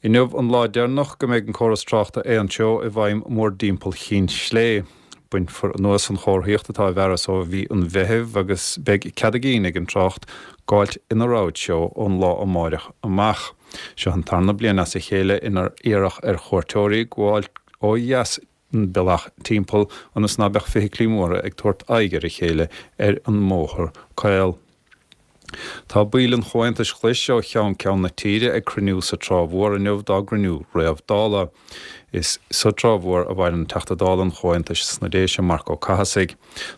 Speaker 12: Inniu an lá deireanach go mbeidh an córas tráchta aontreo i bhfeidhm mórdtimpeall Chinn Slé. Bainfear anuas an chomharthaíocht atá i bhfearas ó mhí an Mheithimh agus beidh cead a gcinn ag an trácht gabháilt ina rogha treo ón lá amáireach amach. Seo an tarna bliain as a chéile inar iarradh ar chuairteoirí gabháil ó dheas an bealach timpeall ionas ná beadh feithiclí móra ag tabhairt aghaidh ar a chéile ar an mbóthar caol. Tá baill an Chomhaontais Ghlais ó cheann ceann na tíre ag cruinniú sa Trá Mhór inniu dá gcruinniú réamh-Dála. Is sa Trá Mhór a mhaireann Teachta Dála an Chomhaontais sna Déise, Marc Ó Cathasaigh.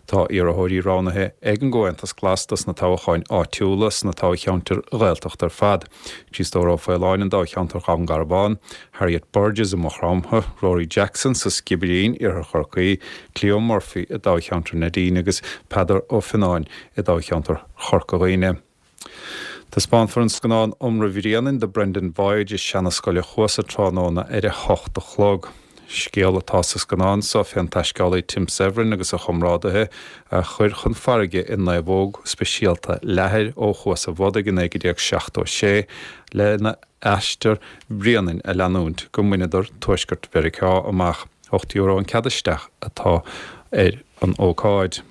Speaker 12: Tá iarrthóirí roghnaithe ag an gComhaontas Glas dos na toghcháin áitiúla sna toghcheantair Ghaeltachta ar fad, Criostóir Ó Faoláin i dtoghcheantar Dhún Garbhán, Harriet Burgess i Maigh Chromtha, Rory Jackson sa Sciobairín, Iarthar Chorcaí, Cleo Murphy i dtoghcheantar Neidín agus Peadar Ó Fionnáin i dtoghcheantar Chorca Dhuibhne. Taispeánfar an scannán Iomramh Bhréanainn, The Brendan Voyage, i Seana-Scoil a' Chuasa tráthnóna ar a hocht a chlog. Scéal atá sa scannán so fén taisceálaí Tim Severin agus a chomrádaithe a chuir chun farraige i naomhóg speisialta leathair ó Chuas a' Bhodaigh i 1976 lena aistear Bhréanainn a leanúint go mbaineadar Tuaisceart Mheiriceá amach. €8 an cead isteach atá ar an ócáid.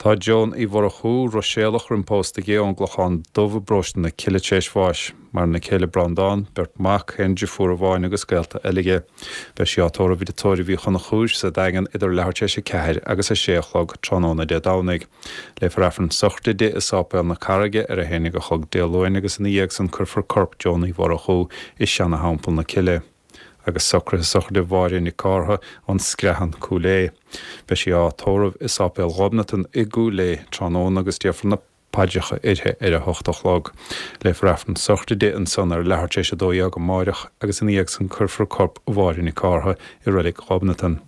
Speaker 12: Tá Joan Uí Mhurchú, Ruiséalach roim pósta di, ón gClochán Dubh i bparóiste na Cille tar éis bháis. Maireann a céile Breandán, beirt mhac, aon driofúr amháin agus gaolta eile aici. Beidh sí á tórramh i dTigh Tórraimh Uí Chonchúir sa Daingean idir leathuair tar éis 4 agus 6 a chlog tráthnóna Dé Domhnaigh. Léifear Aifreann sochraide di i Sáipéal na Carraige ar 11 a chlog Dé Luain agus ina dhiaidh san cuirfear corp Joan Uí Mhurchú i Seana-Theampall na Cille. Agus socruithe sochraide Mháire Nic Cártha ón Screathan, Cúil Aodha. Beidh sí á tórramh i Sáipéal Ghobnatan i gCúil Aodha tráthnóna agus déarfar na paidreacha uirthi ar a hocht a chlog. Léifear Aifreann sochraide di ansan ar leathuair tar éis 12 amáireach agus ina dhiaidh san cuirfear corp Mháire Nic Cártha i Reilig Ghobnatan.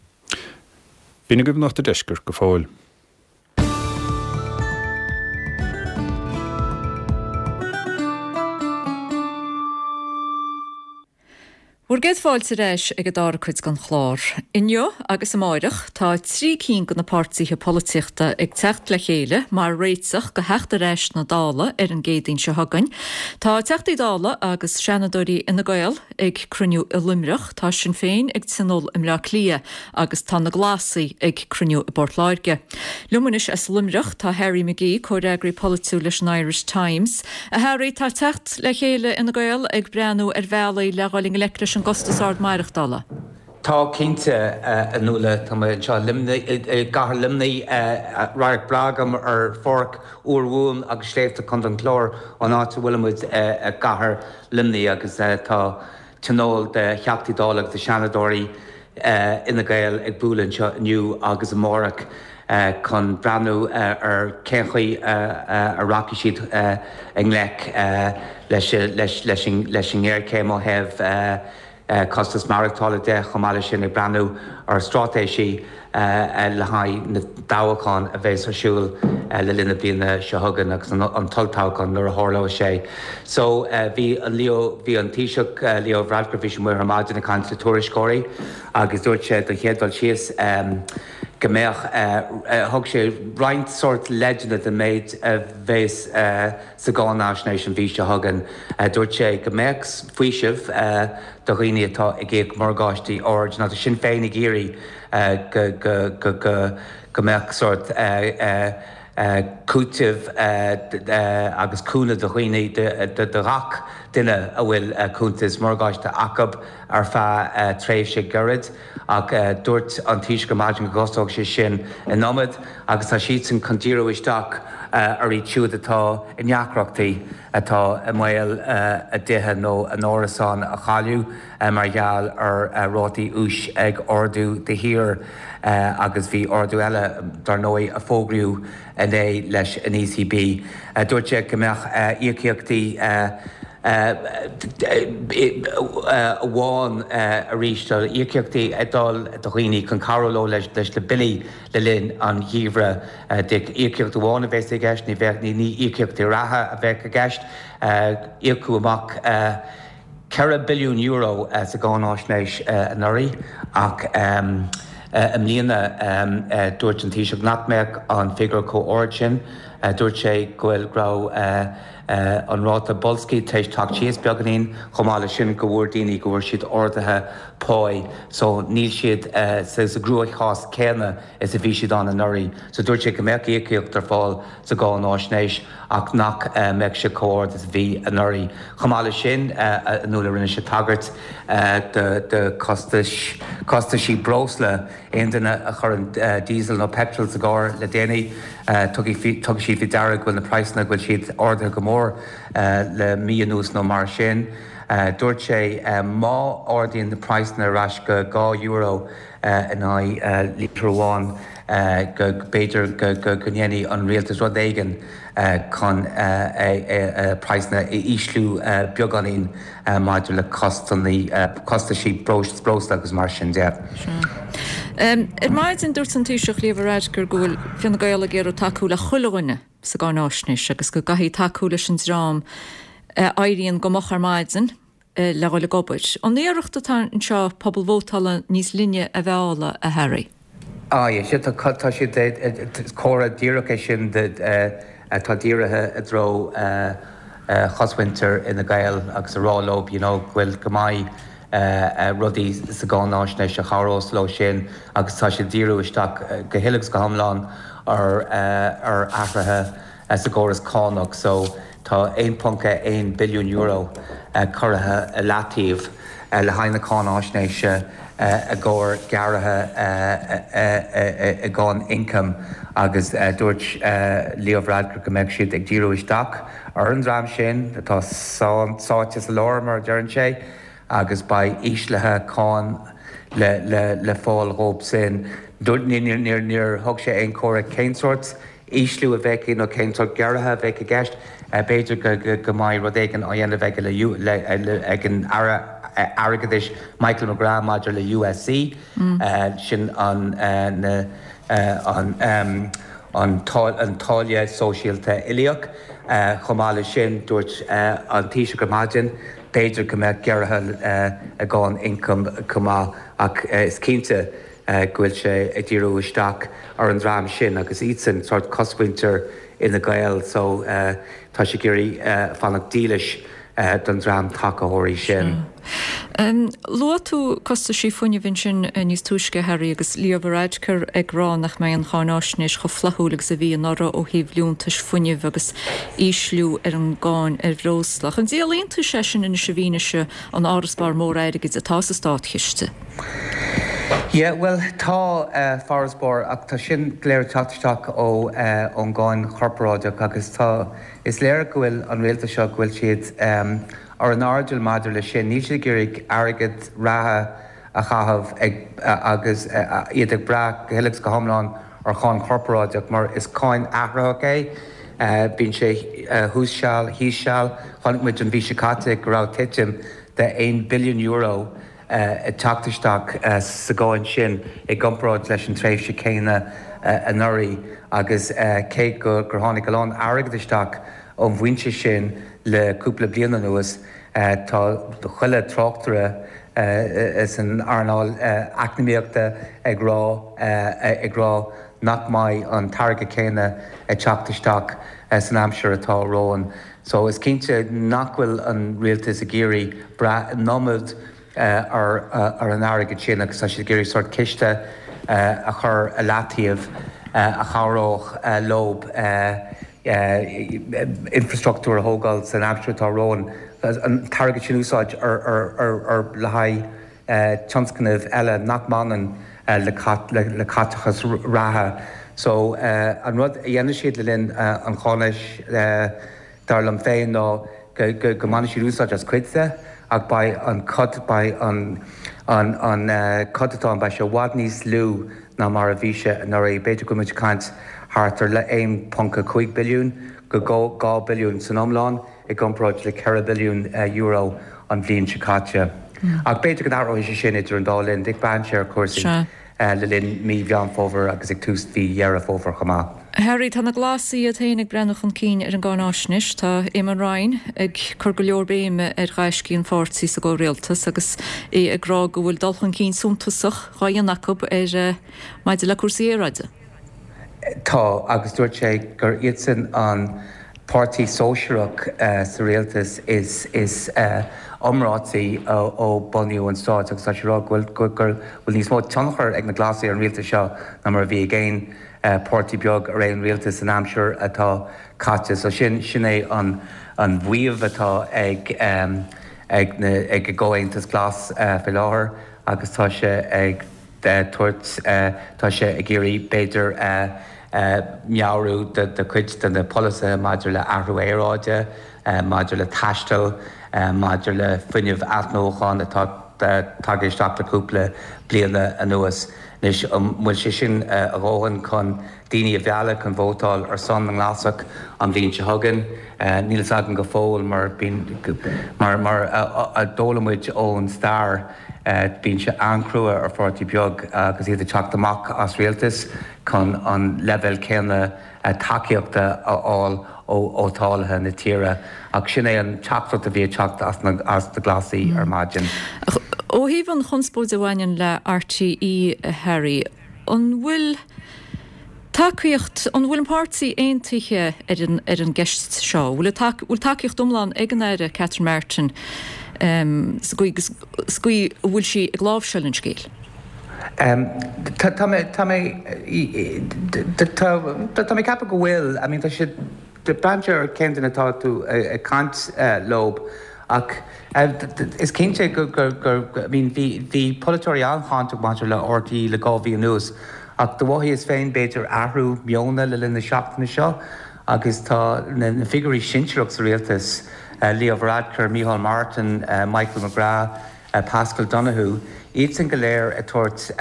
Speaker 12: B'in agaibh Nuacht an Deiscirt go fóill.
Speaker 1: Bhur gcéad fáilte ar ais ag an dara cuid den chlár. Inniu agus amáireach tá 3 cinn de na páirtithe polaitíochta ag teacht le chéile mar réiteach do theacht ar ais sna Dála ar an gCéadaoin seo chugainn. Tá Teachtaí Dála agus Seanadóirí Fhine Gael ag cruinniú i Luimneach, tá Sinn Féin ag tionól i mBleá Cliath agus tá na Glasaigh ag cruinniú i bPort Láirge. Liom anois as Luimneach tá Harry McGee, comhfhreagraí polaitiúil leis an Irish Times. A Harry, tá teacht le chéile Fhine Gael ag breathnú ar bhealaí le dhul i ngleic leis an gcostas ard maireachtála.
Speaker 15: Tá, cinnte, a Nuala. Tá mé anseo i gcathair Luimnigh. Radharc breá agam ar pháirc úr Mhumhan agus sléibhte Chontae an Chláir ón áit a bhfuilimid i gcathair Luimnigh agus tá tionól de Theachtaí Dála agus de Sheanadóirí Fhine Gael ag bualadh anseo inniu agus amárach chun breathnú ar cén chaoi a rachaidh siad i ngleic leis an ngéarchéim ó thaobh costas maireachtála de, chomh maith leis sin ag breathnú ar straitéisí le haghaidh na dtoghchán a bheas ar siúl le linn na bliana seo chugainn agus an t-olltoghchán nuair a tharlóidh sé. So bhí an Leo, bhí an Taoiseach Leo Varadkar, bhí sé amuigh ar maidin ag caint le tuairisceoirí agus dúirt sé don chéad dul síos go mbeadh, thug sé roinnt sórt leideanna den méid a bheas sa gcáinaisnéis an mhí seo chugainn. Dúirt sé go mbeadh faoiseamh do dhaoine atá ag íoc morgáistí ard. Now tá Sinn Féin ag iarraidh go mbeadh sórt cúiteamh agus cúnamh do dhaoine, do ghach duine a bhfuil cuntas morgáiste acu ar feadh tréimhse gairid. Ach dúirt an Taoiseach ar maidin go gcostódh sé sin an iomad agus tá siadsan chun díriú isteach ar iad siúd atá i ndeacrachtaí, atá i mbaol a dtithe nó a n-árasáin a chailleadh mar gheall ar rátaí úis ag ardú de shíor agus bhí ardú eile, dar ndóigh, a fógraíodh inné leis an ECB. Dúirt sé go mbeadh íocaíochtaí amháin arís, íocaíochtaí ag dul do dhaoine chun cabhrú leo leis na billí le linn an gheimhridh. Íocaíocht amháin a bheas i gceist, ní bheadh, ní íocaíochtaí reatha a bheadh i gceist. Íocadh amach €4 billiún sa gcáináisnéis anuraidh ach i mbliana dúirt an Taoiseach nach mbeadh an figiúr chomh ard sin. Dúirt sé go bhfuil, go raibh an ráta boilscithe tar éis teacht síos beagáinín, chomh maith leis sin go bhfuair daoine go bhfuair siad arduithe páí so níl siad sa gcruachás céanna is a bhí siad ann anuraidh. So dúirt sé go mbeadh íocaíocht ar fáil sa gcáináisnéis ach nach mbeadh sé chomh ard is a bhí anuraidh. Chomh maith leis sin, a Nuala, rinne sé tagairt do chostais, costaisí breosla. Aon duine a chuireann diesel nó petrol sa gcarr le déanaí, tuigfidh siad faoi deara go bhfuil na praghsanna, go bhfuil siad ardaithe go mór le mí anuas nó mar sin. Dúirt sé má ardaíonn na praghsanna ar ais go €2 in aghaidh lítear amháin go b'fhéidir go ndéanfaidh an rialtas rud éigin chun praghsanna a ísliú beagáinín. maidir le costaisí breosla agus mar sin de.
Speaker 1: Ar maidin dúirt an Taoiseach Leo Varadkar go bhfuil Fine Gael ag iarraidh tacú le chuile dhuine sa gcáináisnéis agus go gcaithfidh tacú leis an dream a éiríonn go moch ar maidin le dhul ag obair. An iarracht atá anseo pobal vótála níos linne a mhealladh, a Harry?
Speaker 15: Aye, sea, tá siad, comhartha díreach é sin atá dírithe i dtreo chosmhuintir Fhine Gael agus a rá leo, you know, go bhfuil, go mbeidh rudaí sa gcáináisnéis a chabhrós leo sin agus tá siad ag díriú isteach go huile agus go hiomlán. ar ar athruithe sa gcóras cánach so tá €1.1 billiún curtha i leataobh le haghaidh na cáináisnéise i gcomhair gearraithe i gcáin ioncaim agus dúirt Leo Varadkar go mbeadh siad ag díriú isteach ar an dream sin atá sáite sa lár mar a deireann sé agus beidh íslithe cáin le fáil dhóibh sin. Níor thug sé aon chomhairle cén sórt ísliú a bheadh nó cén sórt gearraithe a bheadh i gceist. B'fhéidir go mbeidh rud éigin á dhéanamh aige ag an Aire Airgeadais Michael McGrath maidir le USC, sin an an táille sóisialta uilíoch. Chomh maith leis sin, dúirt an Taoiseach ar maidin, b'fhéidir go mbeadh gearraithe i gcáin ioncaim chomh maith ach is cinnte go bhfuil sé ag díriú isteach ar an dream sin agus iadsan sórt cosmhuintir Fhine Gael so tá sé ag iarraidh fanacht dílis don dream tacaitheoirí sin.
Speaker 1: Luaigh tú costaisí fuinnimh ansin níos túisce, a Harry, agus Leo Varadkar ag rá nach mbeidh an cháináisnéis chomh flaithiúil agus a bhí anuraidh ó thaobh liúntais fuinnimh agus ísliú ar an gcáin ar bhreosla. Ach an díol iontais é sin anois i bhfianaise an fharasbarr mór airgid atá sa státchiste?
Speaker 15: Yeah, bhuel, tá farasbarr ach tá sin go léir ag teacht isteach ó ón gcáin chorparáideach agus tá, is léir go bhfuil an rialtas seo, go bhfuil siad ar an airdeall maidir leis sin. Níl siad ag iarraidh airgead reatha a chaitheamh ag agus iad ag brath go huile agus go hiomlán ar cháin chorparáideach mar is cáin athraitheach é. Bíonn sé thuas seal, thíos seal. Chonaic muid an mhí seo caite go raibh titim de €1 billiún ag teacht isteach sa gcáin sin i gcomparáid leis an tréimhse chéanna anuraidh agus cé gur tháinig a lán airgid isteach ón bhfoinse sin le cúpla bliain anuas, tá chuile tráchtaire san earnáil eacnamaíochta ag rá ag rá nach mbeidh an t-airgead céanna ag teacht isteach san aimsir atá romhainn. So is cinnte nach bhfuil an rialtas ag iarraidh brath an iomad ar an airgead sin agus tá siad ag iarraidh sórt ciste a chur i leataobh a chabhródh leo infrastruchtúr a thógáil san aimsir atá romhainn, an t-airgead sin a úsáid ar le haghaidh tionscnaimh eile nach mbaineann le caiteachas reatha. So, an rud a dhéanfaidh siad le linn an cháináis, dar liom féin, ná go mbainfidh siad úsáid as cuid de ach beidh an cot, beidh an an céatadán, beidh sé i bhfad níos lú ná mar a bhí sé anuraidh. B'fhéidir go bhfuil muid ag caint thart ar 1.5 billiún go 2 billiún san iomlán. i gcomparáid le €4 billiún an bhliain seo caite. Ach b'fhéidir go n-athróidh sé sin idir an dá linn. Braitheann sé ar chúrsaí le linn mí Mheán Fómhair agus ag tús mhí Dheireadh Fómhair chomh maith.
Speaker 1: Harry, tá na Glasaigh iad féin ag breathnú chun cinn ar an gcáináisnéis. Tá Eamon Ryan ag cur go leor béime ar ghaiscí an pháirtí sa gcomhrialtas agus é ag rá go bhfuil dul chun cinn suntasach dhá dhéanamh acu ar maidir le cúrsaí aeráide.
Speaker 15: Tá, agus dúirt sé gur iadsan an páirtí sóisearach sa rialtas is is iomráití ó bunaíodh an stát agus tá sé ag rá go bhfuil go bhfuil níos mó tionchair ag na Glasaigh ar an rialtas seo ná mar a bhí ag aon páirtí beag ar aon rialtas san aimsir atá caite. So sin sin é an an mhaíomh atá ag ag na ag an gComhaontas Glas faoi láthair agus tá sé ag tabhairt, tá sé ag iarraidh b'fhéidir meabhrú do chuid de na polasaithe maidir le athrú aeráide, maidir le taisteal, maidir le fuinneamh athnuachan atá tagtha isteach le cúpla bliana anuas. Anois, an bhfuil sé sin a dhóthain chun daoine a mhealladh chun vótáil ar son na nGlasach an bhliain seo chugainn? Níl fhios againn go fóill mar bíonn, mar a d'fhoghlaim muid ón stair, Bíonn sé an-chrua ar pháirtí beag agus iad ag teacht amach as rialtas chun an leibhéal céanna tacaíochta a fháil ó vótálaithe na tíre. Ach sin é an teachtaireacht a bhí ag teacht as na Glasaigh ar maidin.
Speaker 1: Ó thaobh an chonspóid a bhaineann le RTÉ, a Harry, an bhfuil Tacaíocht, An bhfuil an páirtí aontaithe ar an ar an gceist seo? Bhfuil bhfuil tacaíocht iomlán ag an Aire Catherine Martin sa gcaoi sa gcaoi a bhfuil sí ag láimhseáil an scéil?
Speaker 15: Tá mé, tá mé, tá mé ag ceapadh go bhfuil, I mean tá sé, braitheann sé ar cén duine atá tú ag caint leo ach is cinnte go, go, go, I mean bhí, bhí polaiteoirí an-cháinteach maidir le RTÉ le 2 mhí anuas ach do mhothaíos féin b'fhéidir athrú meona le linn na seachtaine seo agus tá na figiúirí sinsearach sa rialtas, Leo Varadkar, Micheál Martin, Michael McGrath, Paschal Donohoe, iadsan go léir ag tabhairt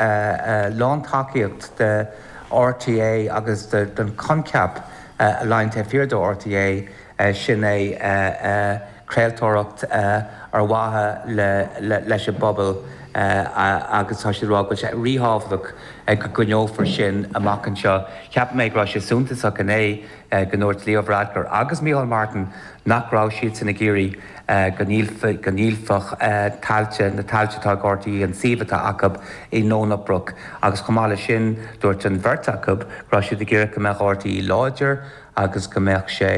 Speaker 15: lántacaíocht do RTÉ agus don choincheap a luíonn taobh thiar de RTÉ, sin é craoltóireacht ar mhaithe leis an bpobal agus tá siad ag rá go bhfuil sé ríthábhachtach go gcoinneofar sin amach anseo. Cheap mé go raibh sé suntasach inné go ndúirt Leo Varadkar agus Micheál Martin nach raibh siadsan ag iarraidh go ndíolfadh tailte, na tailte atá ag RTÉ, an suíomh atá acu i nDomhnach Broc agus chomh maith leis sin dúirt an bheirt acu go raibh siad ag iarraidh go mbeadh RTÉ láidir agus go mbeadh sé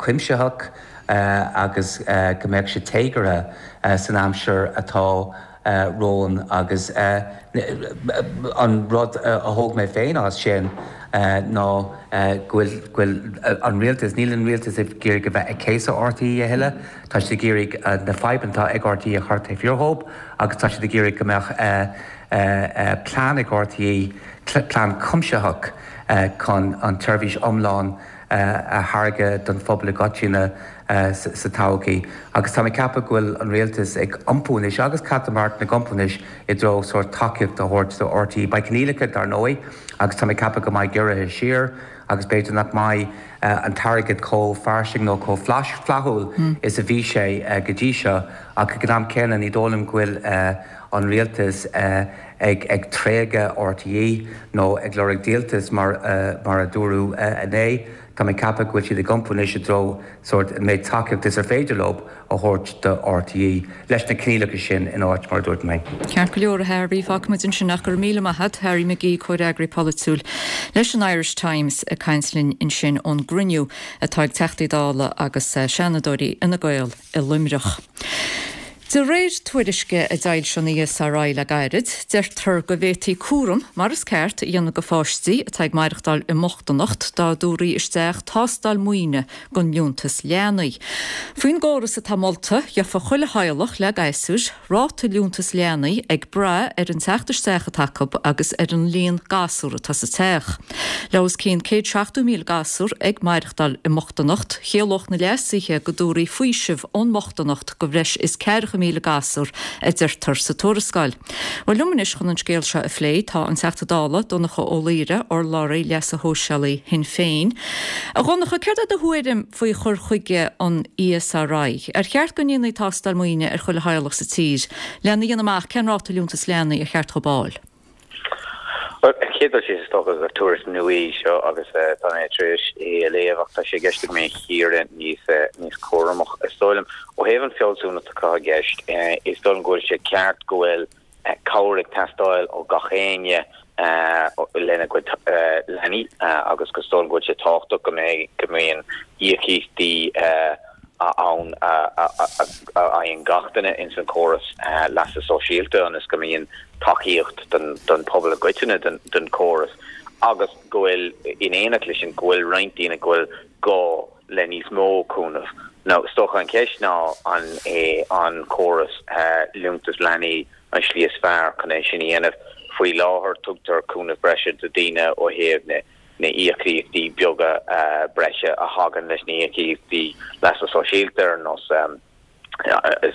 Speaker 15: cuimsitheach agus go mbeadh sé téagartha san aimsir atá romhainn agus an rud a thóg mé féin as sin ná go bhfuil an rialtas, níl an rialtas ag iarraidh a bheith ag céasadh RTÉ a thuilleadh, tá siad ag iarraidh na fadhbanna atá ag RTÉ a chur taobh thiar dhóibh agus tá siad ag iarraidh go mbeadh plean ag RTÉ, plean cuimsitheach chun an tseirbhís iomlán a thairgeadh don phobal i gcoitinne sa todhchaí. Agus tá mé ag ceapadh go bhfuil an rialtas ag iompú anois, agus Catherine Martin ag iompú anois i dtreo sórt tacaíocht a thabhairt do RTÉ. Beidh coinníollacha dar ndóigh agus tá mé ag ceapadh go mbeidh giorruithe siar agus b'fhéidir nach mbeidh an t-airgead chomh fairsing nó chomh flaithiúil is a bhí sé go dtí seo ach ag an am céanna ní dóigh liom go bhfuil an rialtas ag tréigeadh RTÉ nó ag lorg díoltas mar a dúradh inné. Tá mé ag ceapadh go bhfuil siad ag iompú anois i dtreo sórt an méid tacaíocht is ar féidir leo a thabhairt do RTÉ, leis na coinníollacha sin in áit, mar a dúirt mé.
Speaker 1: Ceart go leor, a Harry, fágfaimid ansin ach go raibh míle maith agat, Harry McGee, comhfhreagraí polaitiúil leis an Irish Times ag caint linn ansin ón gcruinniú atá ag Teachtaí Dála agus Seanadóirí Fhine Gael i Luimneach. De réir tuairisce a d'fhoilsigh an ESRI le gairid, deirtear go bhféadfaí cúram mar is ceart a dhéanamh de pháistí atá ag maireachtáil i mbochtaineacht dá dtabharfaí isteach tástáil maoine don liúntas leanaí. Faoin gcóras atá molta, gheofa chuile theaghlach le gasúir ráta liúntas leanaí ag brath ar an teacht isteach atá acu agus ar an líon gasúr atá sa teach. Le os cionn 170,000 gasúr ag maireachtáil i mbochtaineacht, chiallódh na leasuithe go dtabharfaí faoiseamh ón mbochtaineacht do bhreis is 40,000 gasúr, a deirtear sa tuarascáil. Bhuel, liom anois chun an scéal seo a phlé tá an Teachta Dála, Donncha Ó Laoghaire, urlabhraí leasa shóisialaigh Shinn Féin. A Dhonncha, céard é do thuairim faoi chur chuige an ESRI? Ar cheart go ndéanfaí tástáil maoine ar chuile theaghlach sa tír lena dhéanamh amach cén ráta liúntas leanaí ar cheart dhóibh a fháil?
Speaker 16: Bhuel, ar an chéad dul síos, is dócha gur tuairisc nua í seo agus tá mé tar éis é a léamh ach tá sé i gceist agam é a chíoradh níos níos cúramach. Is dóigh liom, ó thaobh an fealsúnacht atá i gceist, is dóigh liom go bhfuil sé ceart go bhfuil cabhair ag teastáil ó gach éinne lena gcuid leanaí agus go is dóigh liom go bhfuil sé tábhachtach go mbeidh go mbíonn íocaíochtaí ann a fhaigheann gach duine ins an chóras leasa sóisialta ionas go mbíonn tacaíocht don phobal i gcoitinne den chóras agus go bhfuil, in éineacht leis sin, go bhfuil roinnt daoine go bhfuil gá le níos mó cúnamh. Now, is dócha an cheist ná an é an córas liúntas leanaí an slí is fearr chun é sin a dhéanamh. Faoi láthair tugtar cúnamh breise do daoine ó thaobh na na íocaíochtaí beaga breise a thagann leis na híocaíochtaí leasa sóisialta ar nós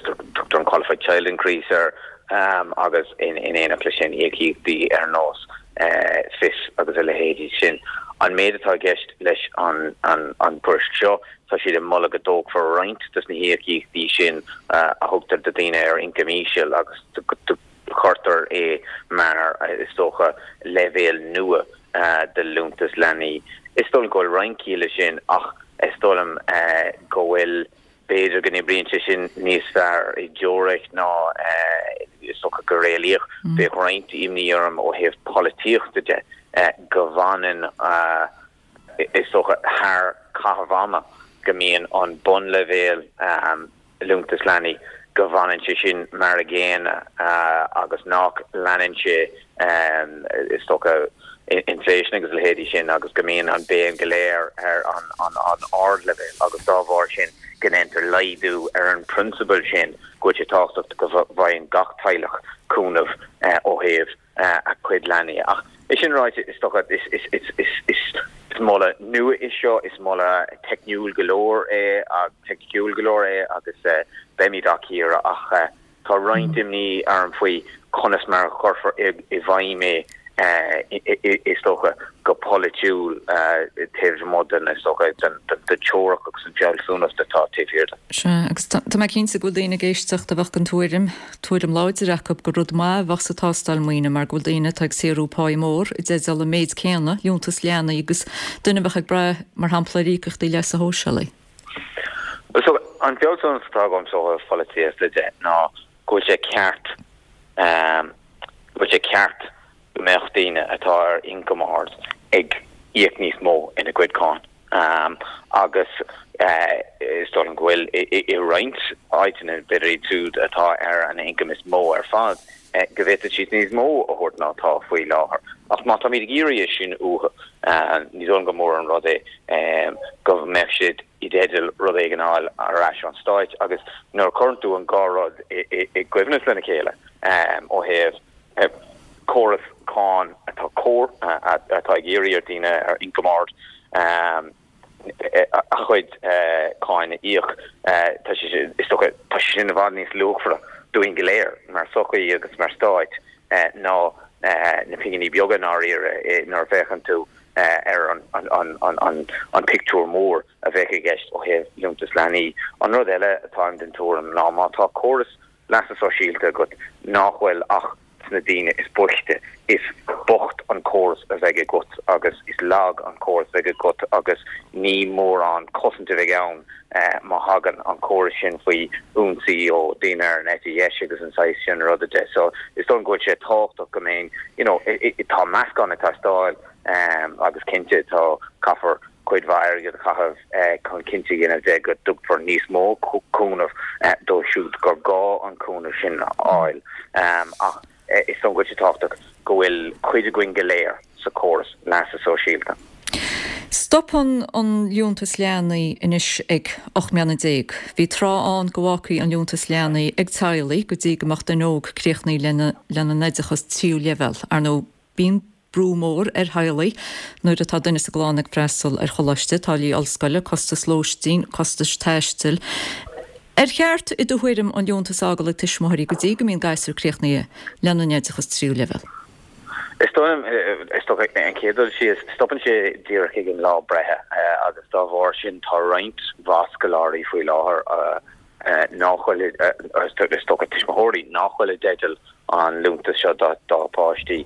Speaker 16: tugtar an Qualified Child Increase air agus in éineacht leis sin íocaíochtaí ar nós FIS agus a leithéidí sin. An méid atá i gceist leis an tuairisc seo, tá siad ag moladh go dtógfar roinnt de na híocaíochtaí sin a thugtar do dhaoine ar ioncam íseal agus go cuirtear é mar, is dócha, leibhéal nua de liúntas leanaí. Is dóigh liom go bhfuil roinnt ciall leis sin ach is dóigh liom go bhfuil, b'fhéidir go n-oibríonn sé sin níos fearr i dteoiric ná is dócha go réalaíoch. Bheadh roinnt imní orm ó thaobh polaitíochta de go bhfanann, is dócha, thar caitheamh ama go mbíonn an bunleibhéal liúntas leanaí. go bhfanann sé sin mar a gcéanna agus nach leanann sé is dócha inflation agus a leithéidí sin agus go mbíonn an béim go léir ar an ardleibhéal agus dá bharr sin go ndéantar laghdú ar an bprionsabal sin go bhfuil sé tábhachtach go bhfaigheann gach teaghlach cúnamh ó thaobh a cuid leanaí. Ach é sin ráite, is dócha, is moladh nua é seo, is moladh teicniúil go leor é, teicniciúil go leor é agus beimid á cíoradh ach tá roinnt imní orm faoi conas mar a chuirfear i bhfeidhm é, is dócha, go polaitiúil taobh amuigh den, is dócha, den teoiric agus an fealsúnacht atá taobh thiar de.
Speaker 1: Sea, agus tá mé cinnte go bhfuil daoine ag éisteacht a bheadh den tuairim, tuairim láidir acu, gur rud maith a bheadh sa tástáil maoine mar go bhfuil daoine atá ag saothrú páí mór i dteideal an méid céanna liúntas leanaí agus duine a bheadh ag brath, mar shampla, ar íocaíochtaí leasa shóisialaigh.
Speaker 16: So, an fealsúnacht atá agamsa ó thaobh polaitíochta de ná go bhfuil sé ceart, go bhfuil sé ceart go mbeadh daoine atá ar ioncam ard ag íoc níos mó ina gcuid cáin agus is dóigh liom go bhfuil i roinnt áiteanna, b'fhéidir iad siúd atá ar an ioncam is mó ar fad, go bhféadfadh siad níos mó a thabhairt ná atá faoi láthair. Ach má táimid ag iarraidh é sin uathu, ní dóigh liom gur mór an rud é go mbeadh siad i dteideal rud éigin a fháil ar ais ón Stáit agus nuair a chuireann tú an dhá rud i gcoibhneas lena chéile ó thaobh córas cáin atá cóir, atá ag iarraidh ar daoine ar ioncam ard a chuid cáin a íoc, tá sé, is dócha, tá sé sin i bhfad níos luachmhaire dúinn go léir mar sochaí agus mar stáit ná na pinginí beaga i ndáiríre nuair a féachann tú ar an pictiúr mór a bheadh i gceist ó thaobh liúntas leanaí. An rud eile atáim den tuairim ná má tá córas leasa sóisialta agat nach bhfuil ach sna daoine is boichte, is bocht an córas a bheidh agat agus is lag an córas a bheidh agat agus ní mórán cosaint a bheidh ann má thagann an córas sin faoi ionsaí ó daoine ar an eite dheis agus an saghas sin ruda de. So is dóigh liom go bhfuil sé tábhachtach go mbeidh, you know, tá meascán ag teastáil agus cinnte tá, caithfear cuid mhaith airgid a chaitheamh chun cinnte a dhéanamh de go dtugfar níos mó cúnamh dóibh siúd gur gá an cúnamh sin a fháil. Ach is dóigh liom go bhfuil sé tábhachtach go bhfuil cuid againn go léir sa chóras leasa sóisialta.
Speaker 1: Stopann an liúntas leanaí anois ag 18 mbliana. Bhí tráth ann go bhfágfaí an liúntas leanaí ag teaghlaigh go dtí go mbeadh duine óg críochnaithe lena n-oideachas tríú leibhéal. Ar ndóigh, bíonn brú mór ar theaghlaigh nuair atá duine sa gclann ag freastal ar choláiste, táillí ollscoile, costais lóistín, costais taistil. Ar cheart, i do thuairim, an liúntas a fhágáil ag tuismitheoirí go dtí go mbíonn gasúr críochnaithe lena n-oideachas tríú leibhéal?
Speaker 16: Is dóigh liom, is dócha, an chéad dul síos, stopann sé díreach ag an lá breithe agus dá bharr sin tá roinnt mhaith scoláirí faoi láthair nach bhfuil, is dócha tuismitheoirí nach bhfuil i dteideal an liúntas seo dá bpáistí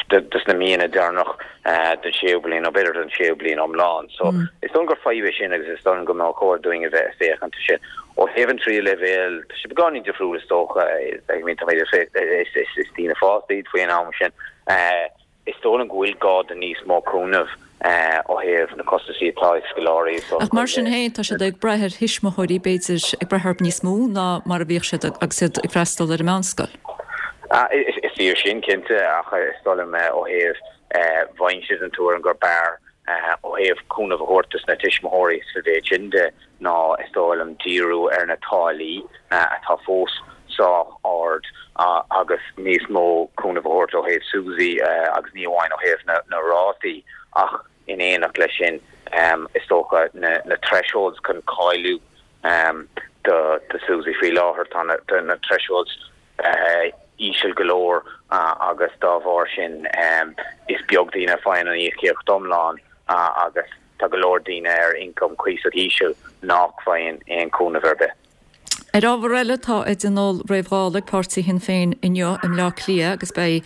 Speaker 16: dos na míonna deireanach den séú bliain nó b'fhéidir don séú bliain iomlán. So is dóigh liom gur fadhb é sin agus is dóigh liom go mbeadh chóir dúinn a bheith ag féachaint air sin. Ó thaobh an tríú leibhéal, tá sé beagáinín difriúil is dócha, I mean tá is daoine fásta iad faoin am sin. Is dóigh liom go bhfuil gá do níos mó cúnaimh ó thaobh na costaisí atá ag scoláirí is
Speaker 1: Ach mar sin féin, tá siad ag brath ar thuismitheoirí, b'fhéidir, ag brath orthu níos mó ná mar a bhíodh siad agus iad ag freastal ar an meánscoil.
Speaker 16: Is fíor sin, cinnte, ach is dóigh liom ó thaobh bheinnse den tuairim gur b'fhearr ó thaobh cúnamh a thabhairt dos na tuismitheoirí sa mhéid sin de ná is dóigh liom díriú ar na táillí atá fós sách ard agus níos mó cúnamh a thabhairt ó thaobh SUSI agus ní amháin ó thaobh na rátaí ach in éineacht leis sin is dócha na thresholds chun cáiliú do SUSI. Faoi láthair tá na thresholds íseal go leor agus dá bharr sin is beag daoine a faigheann an íocaíocht iomlán agus Tá go leor daoine ar ioncam cuíosach íseal nách bhfaigheann aon chúnamh ar bith.
Speaker 1: Ar ábhar eile, tá a dtionól réamh-Dhála ag páirtí Shinn Féin inniu i mBleá Cliath agus beidh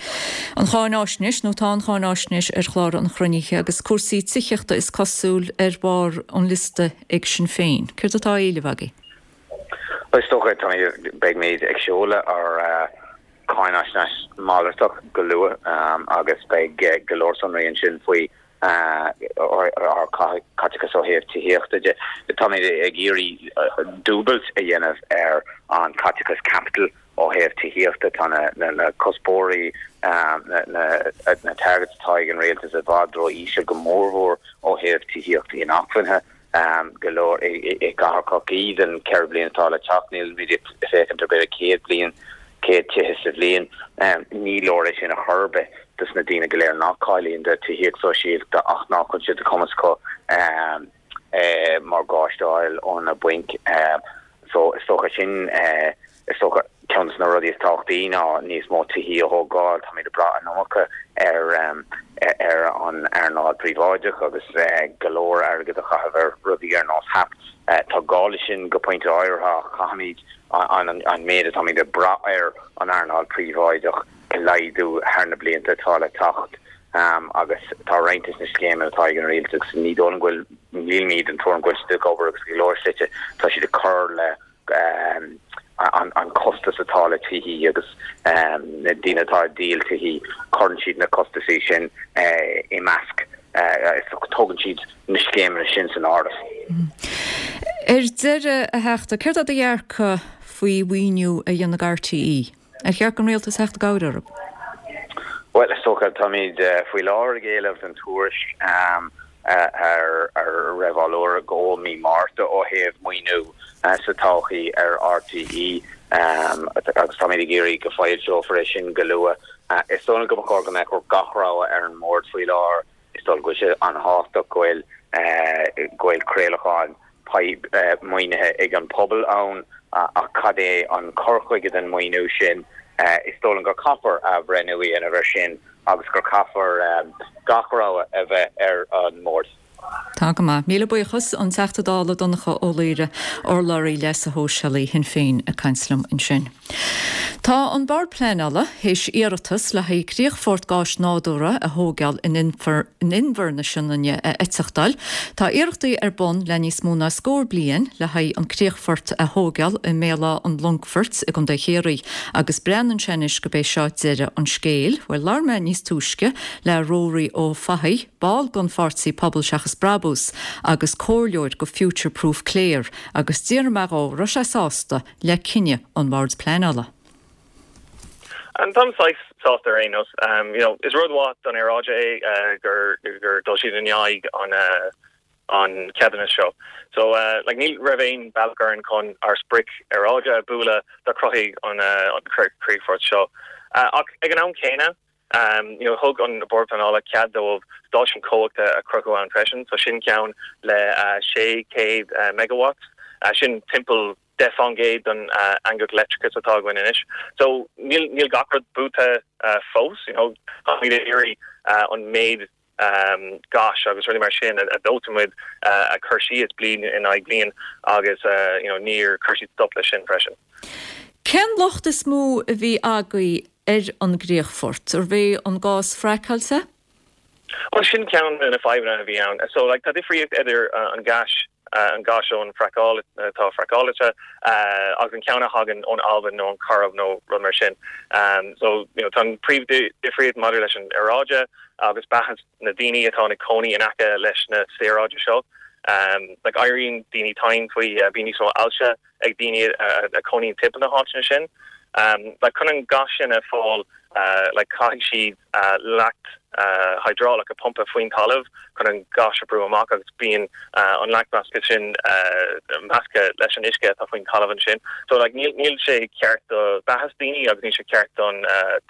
Speaker 1: an cháináisnéis, nó tá an cháináisnéis ar chlár an chruinnithe agus cúrsaí tithíochta is cosúil ar bharr an liosta ag Sinn Féin. Céard atá á éileamh agaibh?
Speaker 16: Is dócha, beimid ag seoladh ár cáináisnéis malartach go luath agus beidh go leor sonraí ansin faoi. Ár caiteachas ó thaobh tithíochta de, táimid ag iarraidh dúbailt a dhéanamh ar an caiteachas caipitil ó thaobh tithíochta. Tá na cuspóirí, na targets atá ag an rialtas i bhfad ró-íseal, go mórmhór ó thaobh tithíochta inacmhainne. Go leor i gcathair Chorcaí don 4 bliana atá le teacht, nílimid ag féachaint ar b'fhéidir 100 bliain, 100 tithe sa bhliain. Ní leor é sin ar chor ar bith dos na daoine go léir nach cáilíonn do tithíocht sóisialta ach nach bhfuil sé de chumas acu morgáiste a fháil ó na bainc. So is dócha sin, is dócha ceann de na rudaí is tábhachtaí ná níos mó tithí a thógáil. Táimid ag brath an iomarca ar ar an earnáil príobháideach agus go leor airgead a chaitheamh ar rudaí ar nós HAP. Tá gá leis sin go pointe áirithe ach caithfimid an méid atáimid ag brath ar an earnáil príobháideach a laghdú thar na blianta atá le teacht agus tá roinnt de na scéimeanna atá ag an rialtas agus ní dóigh liom go bhfuil, nílimid den tuairim go bhfuil siad ag obair agus go leor slite tá siad ag cur le an costas atá le tithí agus na daoine atá ag díol tithí cuireann siad na costasaí sin i measc, tógann siad na scéimeanna sin san áireamh.
Speaker 1: Ar deireadh, a Theachta, céard é do dhearcadh faoi mhaoiniú a dhéanamh RTÉ? Ar cheart don rialtas theacht i gcabhair orthu?
Speaker 16: Bhuel, is dócha, táimid faoi láthair ag éileamh don tuairisc a raibh á lorg ó mí Márta ó thaobh maoiniú sa todhchaí ar RTÉ agus táimid ag iarraidh go foilseofar é sin go luath. Is dóigh liom go mba chóir go mbeadh gach rogha ar an mbord faoi láthair. Is dóigh go bhfuil sé an-thábhachtach go bhfuil go bhfuil craolachán maoinithe ag an pobal ann ach cad é an cur chuige den maoiniú sin? Is dóigh liom gur caithfear athbhreithniú a dhéanamh ar sin agus gur caithfear gach rogha a bheith ar an mbord.
Speaker 1: Tá go maith. Míle buíochas, an Teachta Dála Donncha Ó Laoghaire, urlabhraí leasa shóisialaigh Shinn Féin ag caint liom ansin. Tá an Bord Pleanála théis iarratas le haghaidh críochfort gáis nádúrtha a thóigeáil in Inbhear na Sionainne a eiteachtáil. Tá iarrachtaí ar bun le níos mó ná scór bliain le haghaidh an críochfort a thóigeáil i mBéal Átha an Longfoirt i gContae Chiarraí agus breathnaíonn sé anois gurb é seo deireadh an scéil. Bhuel, labhair mé níos túisce le Ruairí Ó Fathaigh, ball den pháirtí Pobal Seachas Brabús agus comhairleoir go Future Proof Clare agus d'fhiafraigh mé dhó raibh sé sásta le cinneadh an Bhoird Pleanála.
Speaker 17: Táim saghas sásta ar aon nós. You know, is rud mhaith don aeráide é gur gur dul siad in aghaidh an an ceadúnas seo. So like ní raibh aon bealach orainn chun ár sprioc aeráide a bualadh dá cruthaigh an an críochfort seo. Ach ag an am céanna, you know, thug an Bord Pleanála cead dóibh stáisiún cumhachta a chruthú ann freisin, so sin ceann le 600 megawatts, sin timpeall 10% den eangach leictreachais atá againn anois. So níl níl gach rud buaite fós, you know, táimid ag iarraidh an méid gáis agus rudaí mar sin a dóiteann muid a chur síos bliain in aghaidh bliain agus you know níor chuir siad stop leis sin freisin.
Speaker 1: Cén locht is mó a bhí agaibh ar an gcríochfort? Arbh é an gás fraiceáilte?
Speaker 17: Bhuel, sin ceann de na fadhbanna a bhí ann. So, like, tá difríocht idir an gáis, an gáis ón fraiceáil, atá fraiceáilte, agus an ceann a thagann ón Albain nó an Chairib nó rud mar sin. So, you know, tá an príomhdhifríocht maidir leis an aeráide agus beatha na daoine atá ina cónaí in aice leis na saoráidí seo. Like, éiríonn daoine tinn faoi, bíonn níos mó ailse ag daoine a chónaíonn timpeall na háiteanna sin. Like chun an gás sin a fáil like caithfidh siad leacht hiodrálach a pumpa faoin talamh chun an gás a brú amach agus bíonn an leacht measctha sin measctha leis an uisce atá faoin talamh ansin. So like níl níl sé ceart do beathas daoine agus níl sé ceart don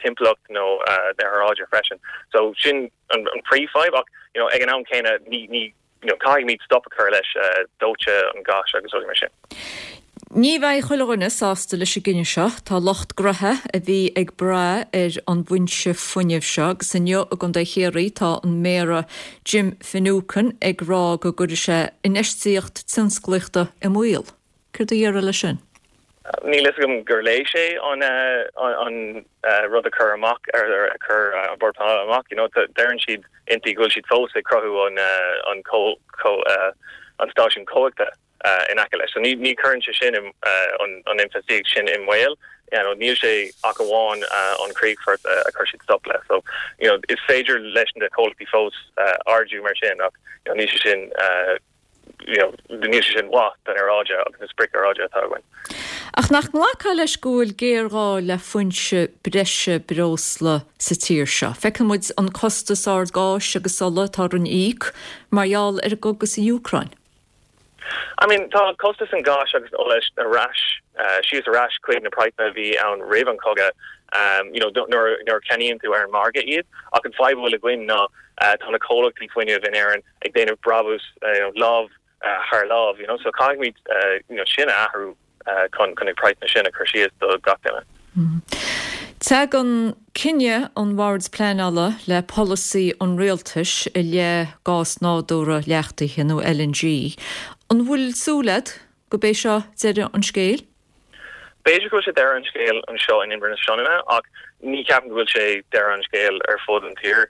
Speaker 17: timpeallacht nó aeráide freisin. So sin an príomhfhadhb ach you know ag an am céanna ní ní you know, caithfimid stop a chur leis dóite an gáis agus rudaí mar sin.
Speaker 1: Ní bheidh chuile dhuine sásta leis an gcinneadh seo. Tá lucht gnoithe a bhí ag brath ar an bhfoinse fuinnimh seo agus inniu i gContae Chiarraí tá an Méara Jim Finucane ag rá go gcuirfidh sé infheistíocht tionsclaíochta i mbaol. Céard a déarfá leis sin?
Speaker 17: Níl fhios agam gur léigh sé an an rud a chur amach, a chur an Bord Pleanála amach. You know, deireann siad inti go bhfuil siad fós ag cruthú an an an stáisiún cumhachta in aice leis. So ní ní cuireann sé sin an an infheistíocht sin i mbaol. You know, níl sé ach amháin an críochfort a chuir siad stop le. So, you know, is féidir leis na comhlachtaí fós ardú mar sin ach, you know, níl sé sin, you know, níl sé sin maith don aeráide agus na sprioc aeráide atá againn.
Speaker 1: Ach nach nglacfá leis go bhfuil géarghá le foinse breise breosla sa tír seo? Feiceann muid an costas ard gáis agus ola atá orainn a íoc mar gheall ar an gcogadh sa Úcráin.
Speaker 17: I mean, tá costas an gháis agus an ola ar ais, síos ar ais chuig na praghsanna a bhí ann roimh an chogadh, you know, nuair a cheannaíonn tú ar an margadh iad. Ach an fadhb a bhfuil againn ná tá na comhlachtaí fuinnimh in Éirinn ag déanamh brabús, you know, lámh thar lámh, you know, so caithfimid, you know, sin a athrú. chun na praghsanna sin a chur síos do gach duine.
Speaker 1: Tagann cinneadh an Bhoird Pleanála le polasaí an Rialtais i leith gás nádúrtha leachtaithe nó LNG. An bhfuil súil agat go b'é seo deireadh an scéil?
Speaker 17: B'fhéidir go bhfuil sé deireadh an scéil anseo in Inbhear na Sionainne ach ní cheapaim go bhfuil sé deireadh an scéil ar fud an tír.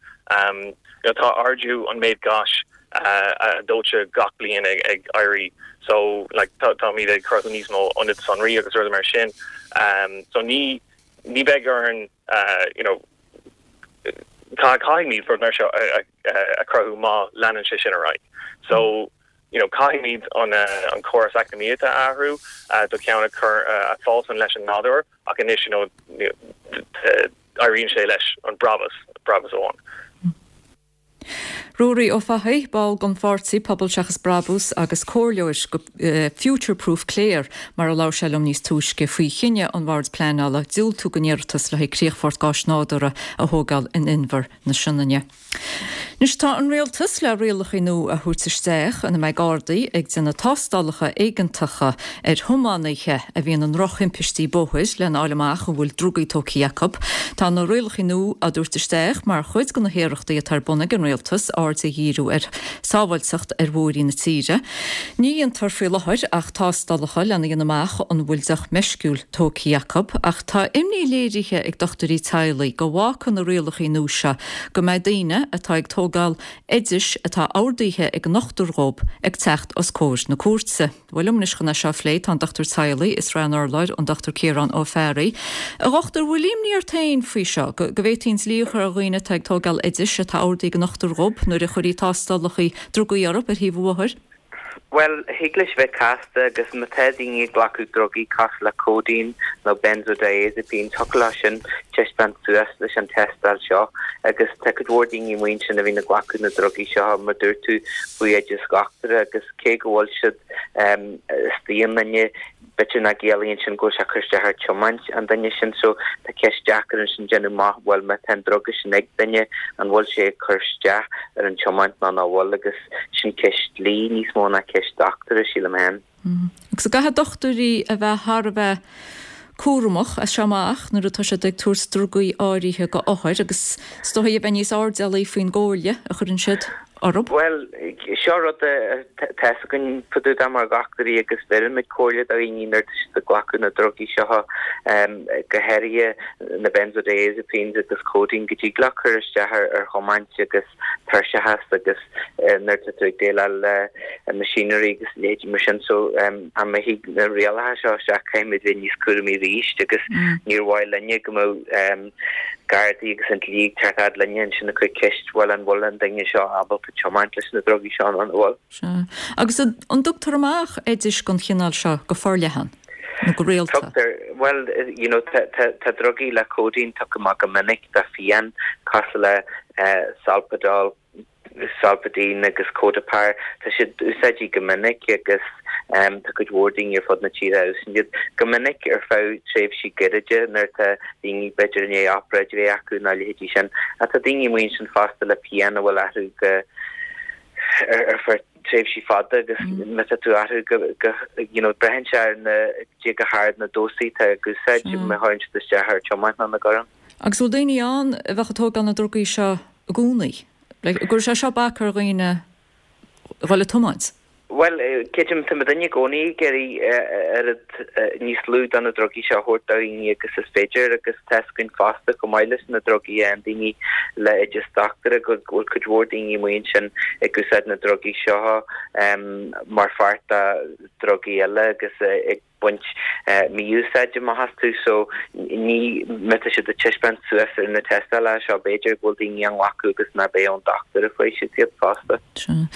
Speaker 17: Tá ardú an méid gáis a dóite gach bliain ag éirí so like táimid ag cruthú níos mó ionad sonraí agus rudaí mar sin so ní ní bheidh orainn you know caithfimid rud mar seo a chruthú má leanann sé sin ar aghaidh so you know caithfimid an an córas eacnamaíochta a athrú do cheann a chur a fásann leis an nádúr ach anois you know éiríonn sé leis an brabús brabús amháin.
Speaker 1: Ruairí Ó Fathaigh, ball den pháirtí Pobal Seachas Brabús agus comhairleoir go Future Proof Clare, mar a labhair sé liom níos túisce faoi chinneadh an Bhoird Pleanála diúltú don iarratas le haghaidh críochfort gáis nádúrtha a thógáil in Inbhear na Sionainne. Anois tá an Rialtas le rialacha nua a thabhairt isteach ina mbeidh Gardaí ag déanamh tástálacha éigeantacha ar thiománaithe a bhíonn i ndrochthimpistí bóthair lena fháil amach an bhfuil drugaí tógtha acu. Tá na rialacha nua á dtabhairt isteach mar chuid de na hiarrachtaí atá ar bun ag an Rialtas aird a dhíriú ar shábháilteacht ar bhóithrí na tíre. Ní dhéantar faoi láthair ach tástálacha lena dhéanamh amach an bhfuil deoch meisciúil tógtha acu ach tá imní léirithe ag dochtúirí teaghlaigh go bhfágfaidh na rialacha nua seo go mbeidh daoine atá ag tógáil oidis atá ordaithe ag an ndochtúir dhóibh ag teacht os comhair na cúirte. Bhuel liom anois chun é seo a phlé tá an dochtúir teaghlaigh i Srath an Urláir, an Dr Ciarán Ó Fearraigh. A dhochtúir, bhfuil imní ort féin faoi seo, go bhféadfaí an dlí a chur ar dhaoine atá ag tógáil oidis atá ordaithe ag an ndochtúir dhóibh nuair a chuirfí tástálacha drugaí orthu ar thaobh an bhóthair?
Speaker 18: Bhuel, thig leis bheith casta agus má tá daoine ag glacadh drugaí cosúil le codeine nó benzodiazepines, thiocfadh leo sin taispeáint suas leis an tástáil seo agus tá cuid mhór daoine amuigh ansin a bhíonn ag glacadh na drugaí seo mar dúirt tú faoi oideas dhochtúra agus cé go bhfuil siad istigh i nduine B'fhéidir nach gciallaíonn sin go bhfuil sé ag cur isteach ar tiomáint an duine sin so tá ceist deacair ansin déanamh amach bhuel má tá an druga sin ag duine an bhfuil sé ag cur isteach ar an tiomáint nó nach bhfuil agus sin ceist dlí níos mó ná ceist dochtúra sílim féin.
Speaker 1: Agus an gcaithfidh dochtúirí a bheith thar a bheith cúramach as seo amach nuair atá siad ag tabhairt drugaí áirithe go othair agus is dóigh a bheith níos airdeallaí faoin gcomhairle a chuireann siad orthu.
Speaker 18: Bhuel, seo rud atá fhios againn fá dtaobh de mar dhochtúirí agus bheirimid comhairle do dhaoine nuair atá siad ag glacadh na drugaí seo, go háirithe na benzodiazepines agus codeine, go dtig leo cur isteach ar thiomáint agus tuirseachas agus nuair atá tú ag déileáil le machinery agus leithéidí mar sin. So, dá mba thig na rialacha seo isteach caithfimid bheith níos cúramaí arís agus níor mhaith linne go mbeadh Gardaí agus an dlí ag teacht fhad linne ansin ag cur ceist, bhuel an bhfuil an duine seo ábalta tiomáint leis na drugaí seo nó an bhfuil?
Speaker 1: Sea. Agus an dtugtar amach oidis den chineál seo go forleathan, nó go rialta?
Speaker 18: Tugtar. Bhuel, you know, tá, tá, tá drugaí le codeine tugtha amach go minic do phian, cosúil le Solpadol, Solpadeine agus Codapar, tá siad úsáidte go minic agus tá cuid mhór daoine ar fud na tíre a úsáideann iad go minic ar feadh tréimhsí gairide nuair atá daoine b'fhéidir i ndiaidh obráid a bheith acu nó a leithéidí sin. Ach tá daoine amuigh ansin fosta le pian a bhfuil orthu go ar feadh tréimhsí fada agus má tá tú orthu go go you know braitheann sé ar na cé chomh hard na dósaí atá ag úsáid má chuireann siad isteach ar tiomáint nó nach gcuireann.
Speaker 1: Agus bhfuil daoine ann a bheadh ag tógáil na drugaí seo i gcónaí? Like, an gcuirfidh sé seo bac ar dhaoine a dhul ag tiomáint?
Speaker 18: Bhuel, creidim, tá muidinne i gcónaí ag iarraidh oiread níos lú de na drugaí seo a thabhairt do dhaoine agus is féidir agus tá fhios againn fosta chomh maith leis na drugaí a fhaigheann daoine le oideas dochtúra go bhfuil cuid mhór daoine amuigh ansin ag úsáid na drugaí seo mar pháirt de drugaí eile agus ag. baint mí-úsáid amach astu so ní, má tá siad ag taispeáint suas ar na tástálacha seo b'fhéidir go bhfuil daoine á nglacadh agus nach b'é ón dochtúir a fuair siad iad fosta.
Speaker 1: Sea.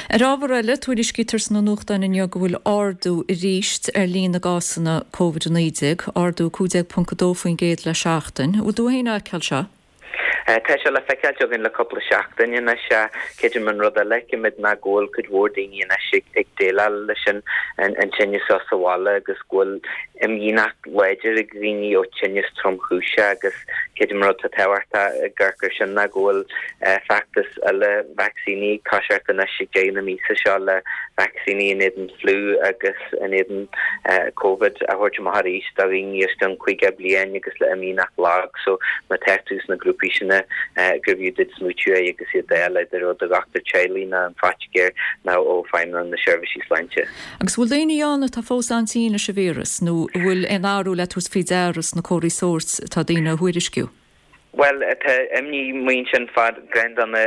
Speaker 1: Ar ábhar eile, tuairiscítear sna nuachtáin inniu go bhfuil ardú arís ar líon na gcásanna Covid-19, ardú 15.2% le seachtain. An bhfuil tú féin á fheiceáil seo?
Speaker 18: Tá sé le feiceáilt againn le cúpla seachtain anois. Creidim an rud eile a fheicimid ná go bhfuil cuid mhór daoine anois ag déileáil leis an tinneas seo sa bhaile agus go bhfuil imdhíonacht láidir ag dhaoine ó tinneas tromchúiseach agus creidim an rud atá tábhachtach ag amharc air sin ná go bhfuil feachtas eile vacsaíní ag toiseacht anois ag deireadh na míosa seo le vacsaíní in éadan fliú agus in éadan Covid a thabhairt amach arís do dhaoine os cionn 50 bliain agus le imdhíonacht lag so má tá tú sna grúpaí sin gurbh fhiú duit smaoitiú air agus iad a fháil idir ó do dhochtúir teaghlaigh nó an phaitiléir nó ó Feidhmeannacht na Seirbhísí Sláinte.
Speaker 1: Agus an bhfuil daoine ann atá fós an-tinn leis an víreas nó an bhfuil aon athrú le tabhairt faoi deara sna comharthaí sóirt atá daoine a thuairisciú?
Speaker 18: Bhuel, tá imní amuigh ansin fá ceann de na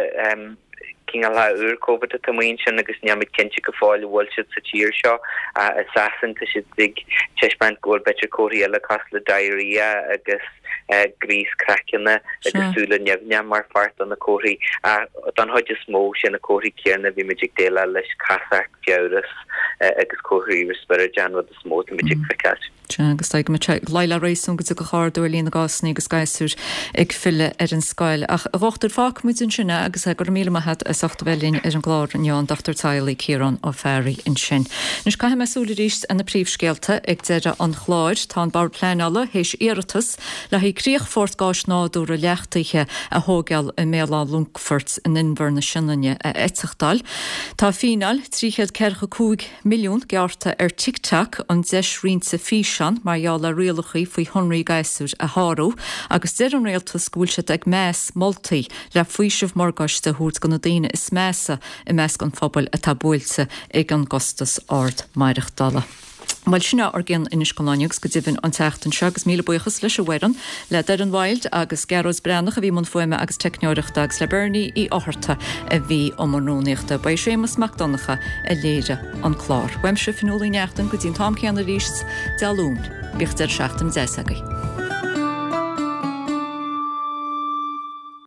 Speaker 18: cineálacha úr Covid atá amuigh ansin agus nílimid cinnte go fóill an bhfuil siad sa tír seo. I Sasain tá siad ag taispeáint go bhfuil b'fhéidir comharthaí eile cosúil le diarrhea agus gríos craicinn agus súile nimhneacha mar pháirt de na comharthaí. Ach don chuid is mó, sé na comharthaí céanna a bhímid ag déileáil leis, casacht, fiabhras agus comharthaí riospráide an rud is mó atáimid ag feiceáil.
Speaker 1: Sea, agus tá sé ag luí le réasún go dtiocfadh ardú ar líon na gcásanna agus gasúir ag filleadh ar an scoil. Ach, a dhochtúir, fágfaidh muid ansin é agus go raibh míle maith agat as ucht a bheith linn ar an gclár inniu, an Dochtúir Teaghlaigh Ciarán Ó Fearraigh ansin. Anois caithfidh mé súil arís ar na príomhscéalta ag deireadh an chláir. Tá an Bord Pleanála théis iarratas le haghaidh críochfort gáis nádúrtha leachtaithe a thóigeáil i mBéal Átha Longfoirt in Inbhear na Sionainne a eiteachtáil. Tá fíneáil 345 milliún gearrtha ar TikTok, an deis roinnte físeán, mar gheall ar rialacha faoi shonraí gasúir a shárú, agus deir an rialtas go bhfuil siad ag meas moltaí le faoiseamh morgáiste a thabhairt do na daoine is measa i measc an phobail atá buailte ag an gcostas ard maireachtála. Bhuel, sin é ár gcion anois don lá inniu agus go deimhin an tseachtain seo agus míle buíochas leis an bhfoireann, le Doireann Wild agus Gearóid Breathnach a bhí i mbun fuaime agus teicneoireachta agus le Bernie Uí Fhátharta a bhí i mbun rúnaíochta. Ba é Séamus Mac Donncha a léirigh an clár. Uaimse, Fionnuala Uí Neachtain, go dtí an t-am céanna arís Dé Luain. Bíodh deireadh seachtaine deas agaibh.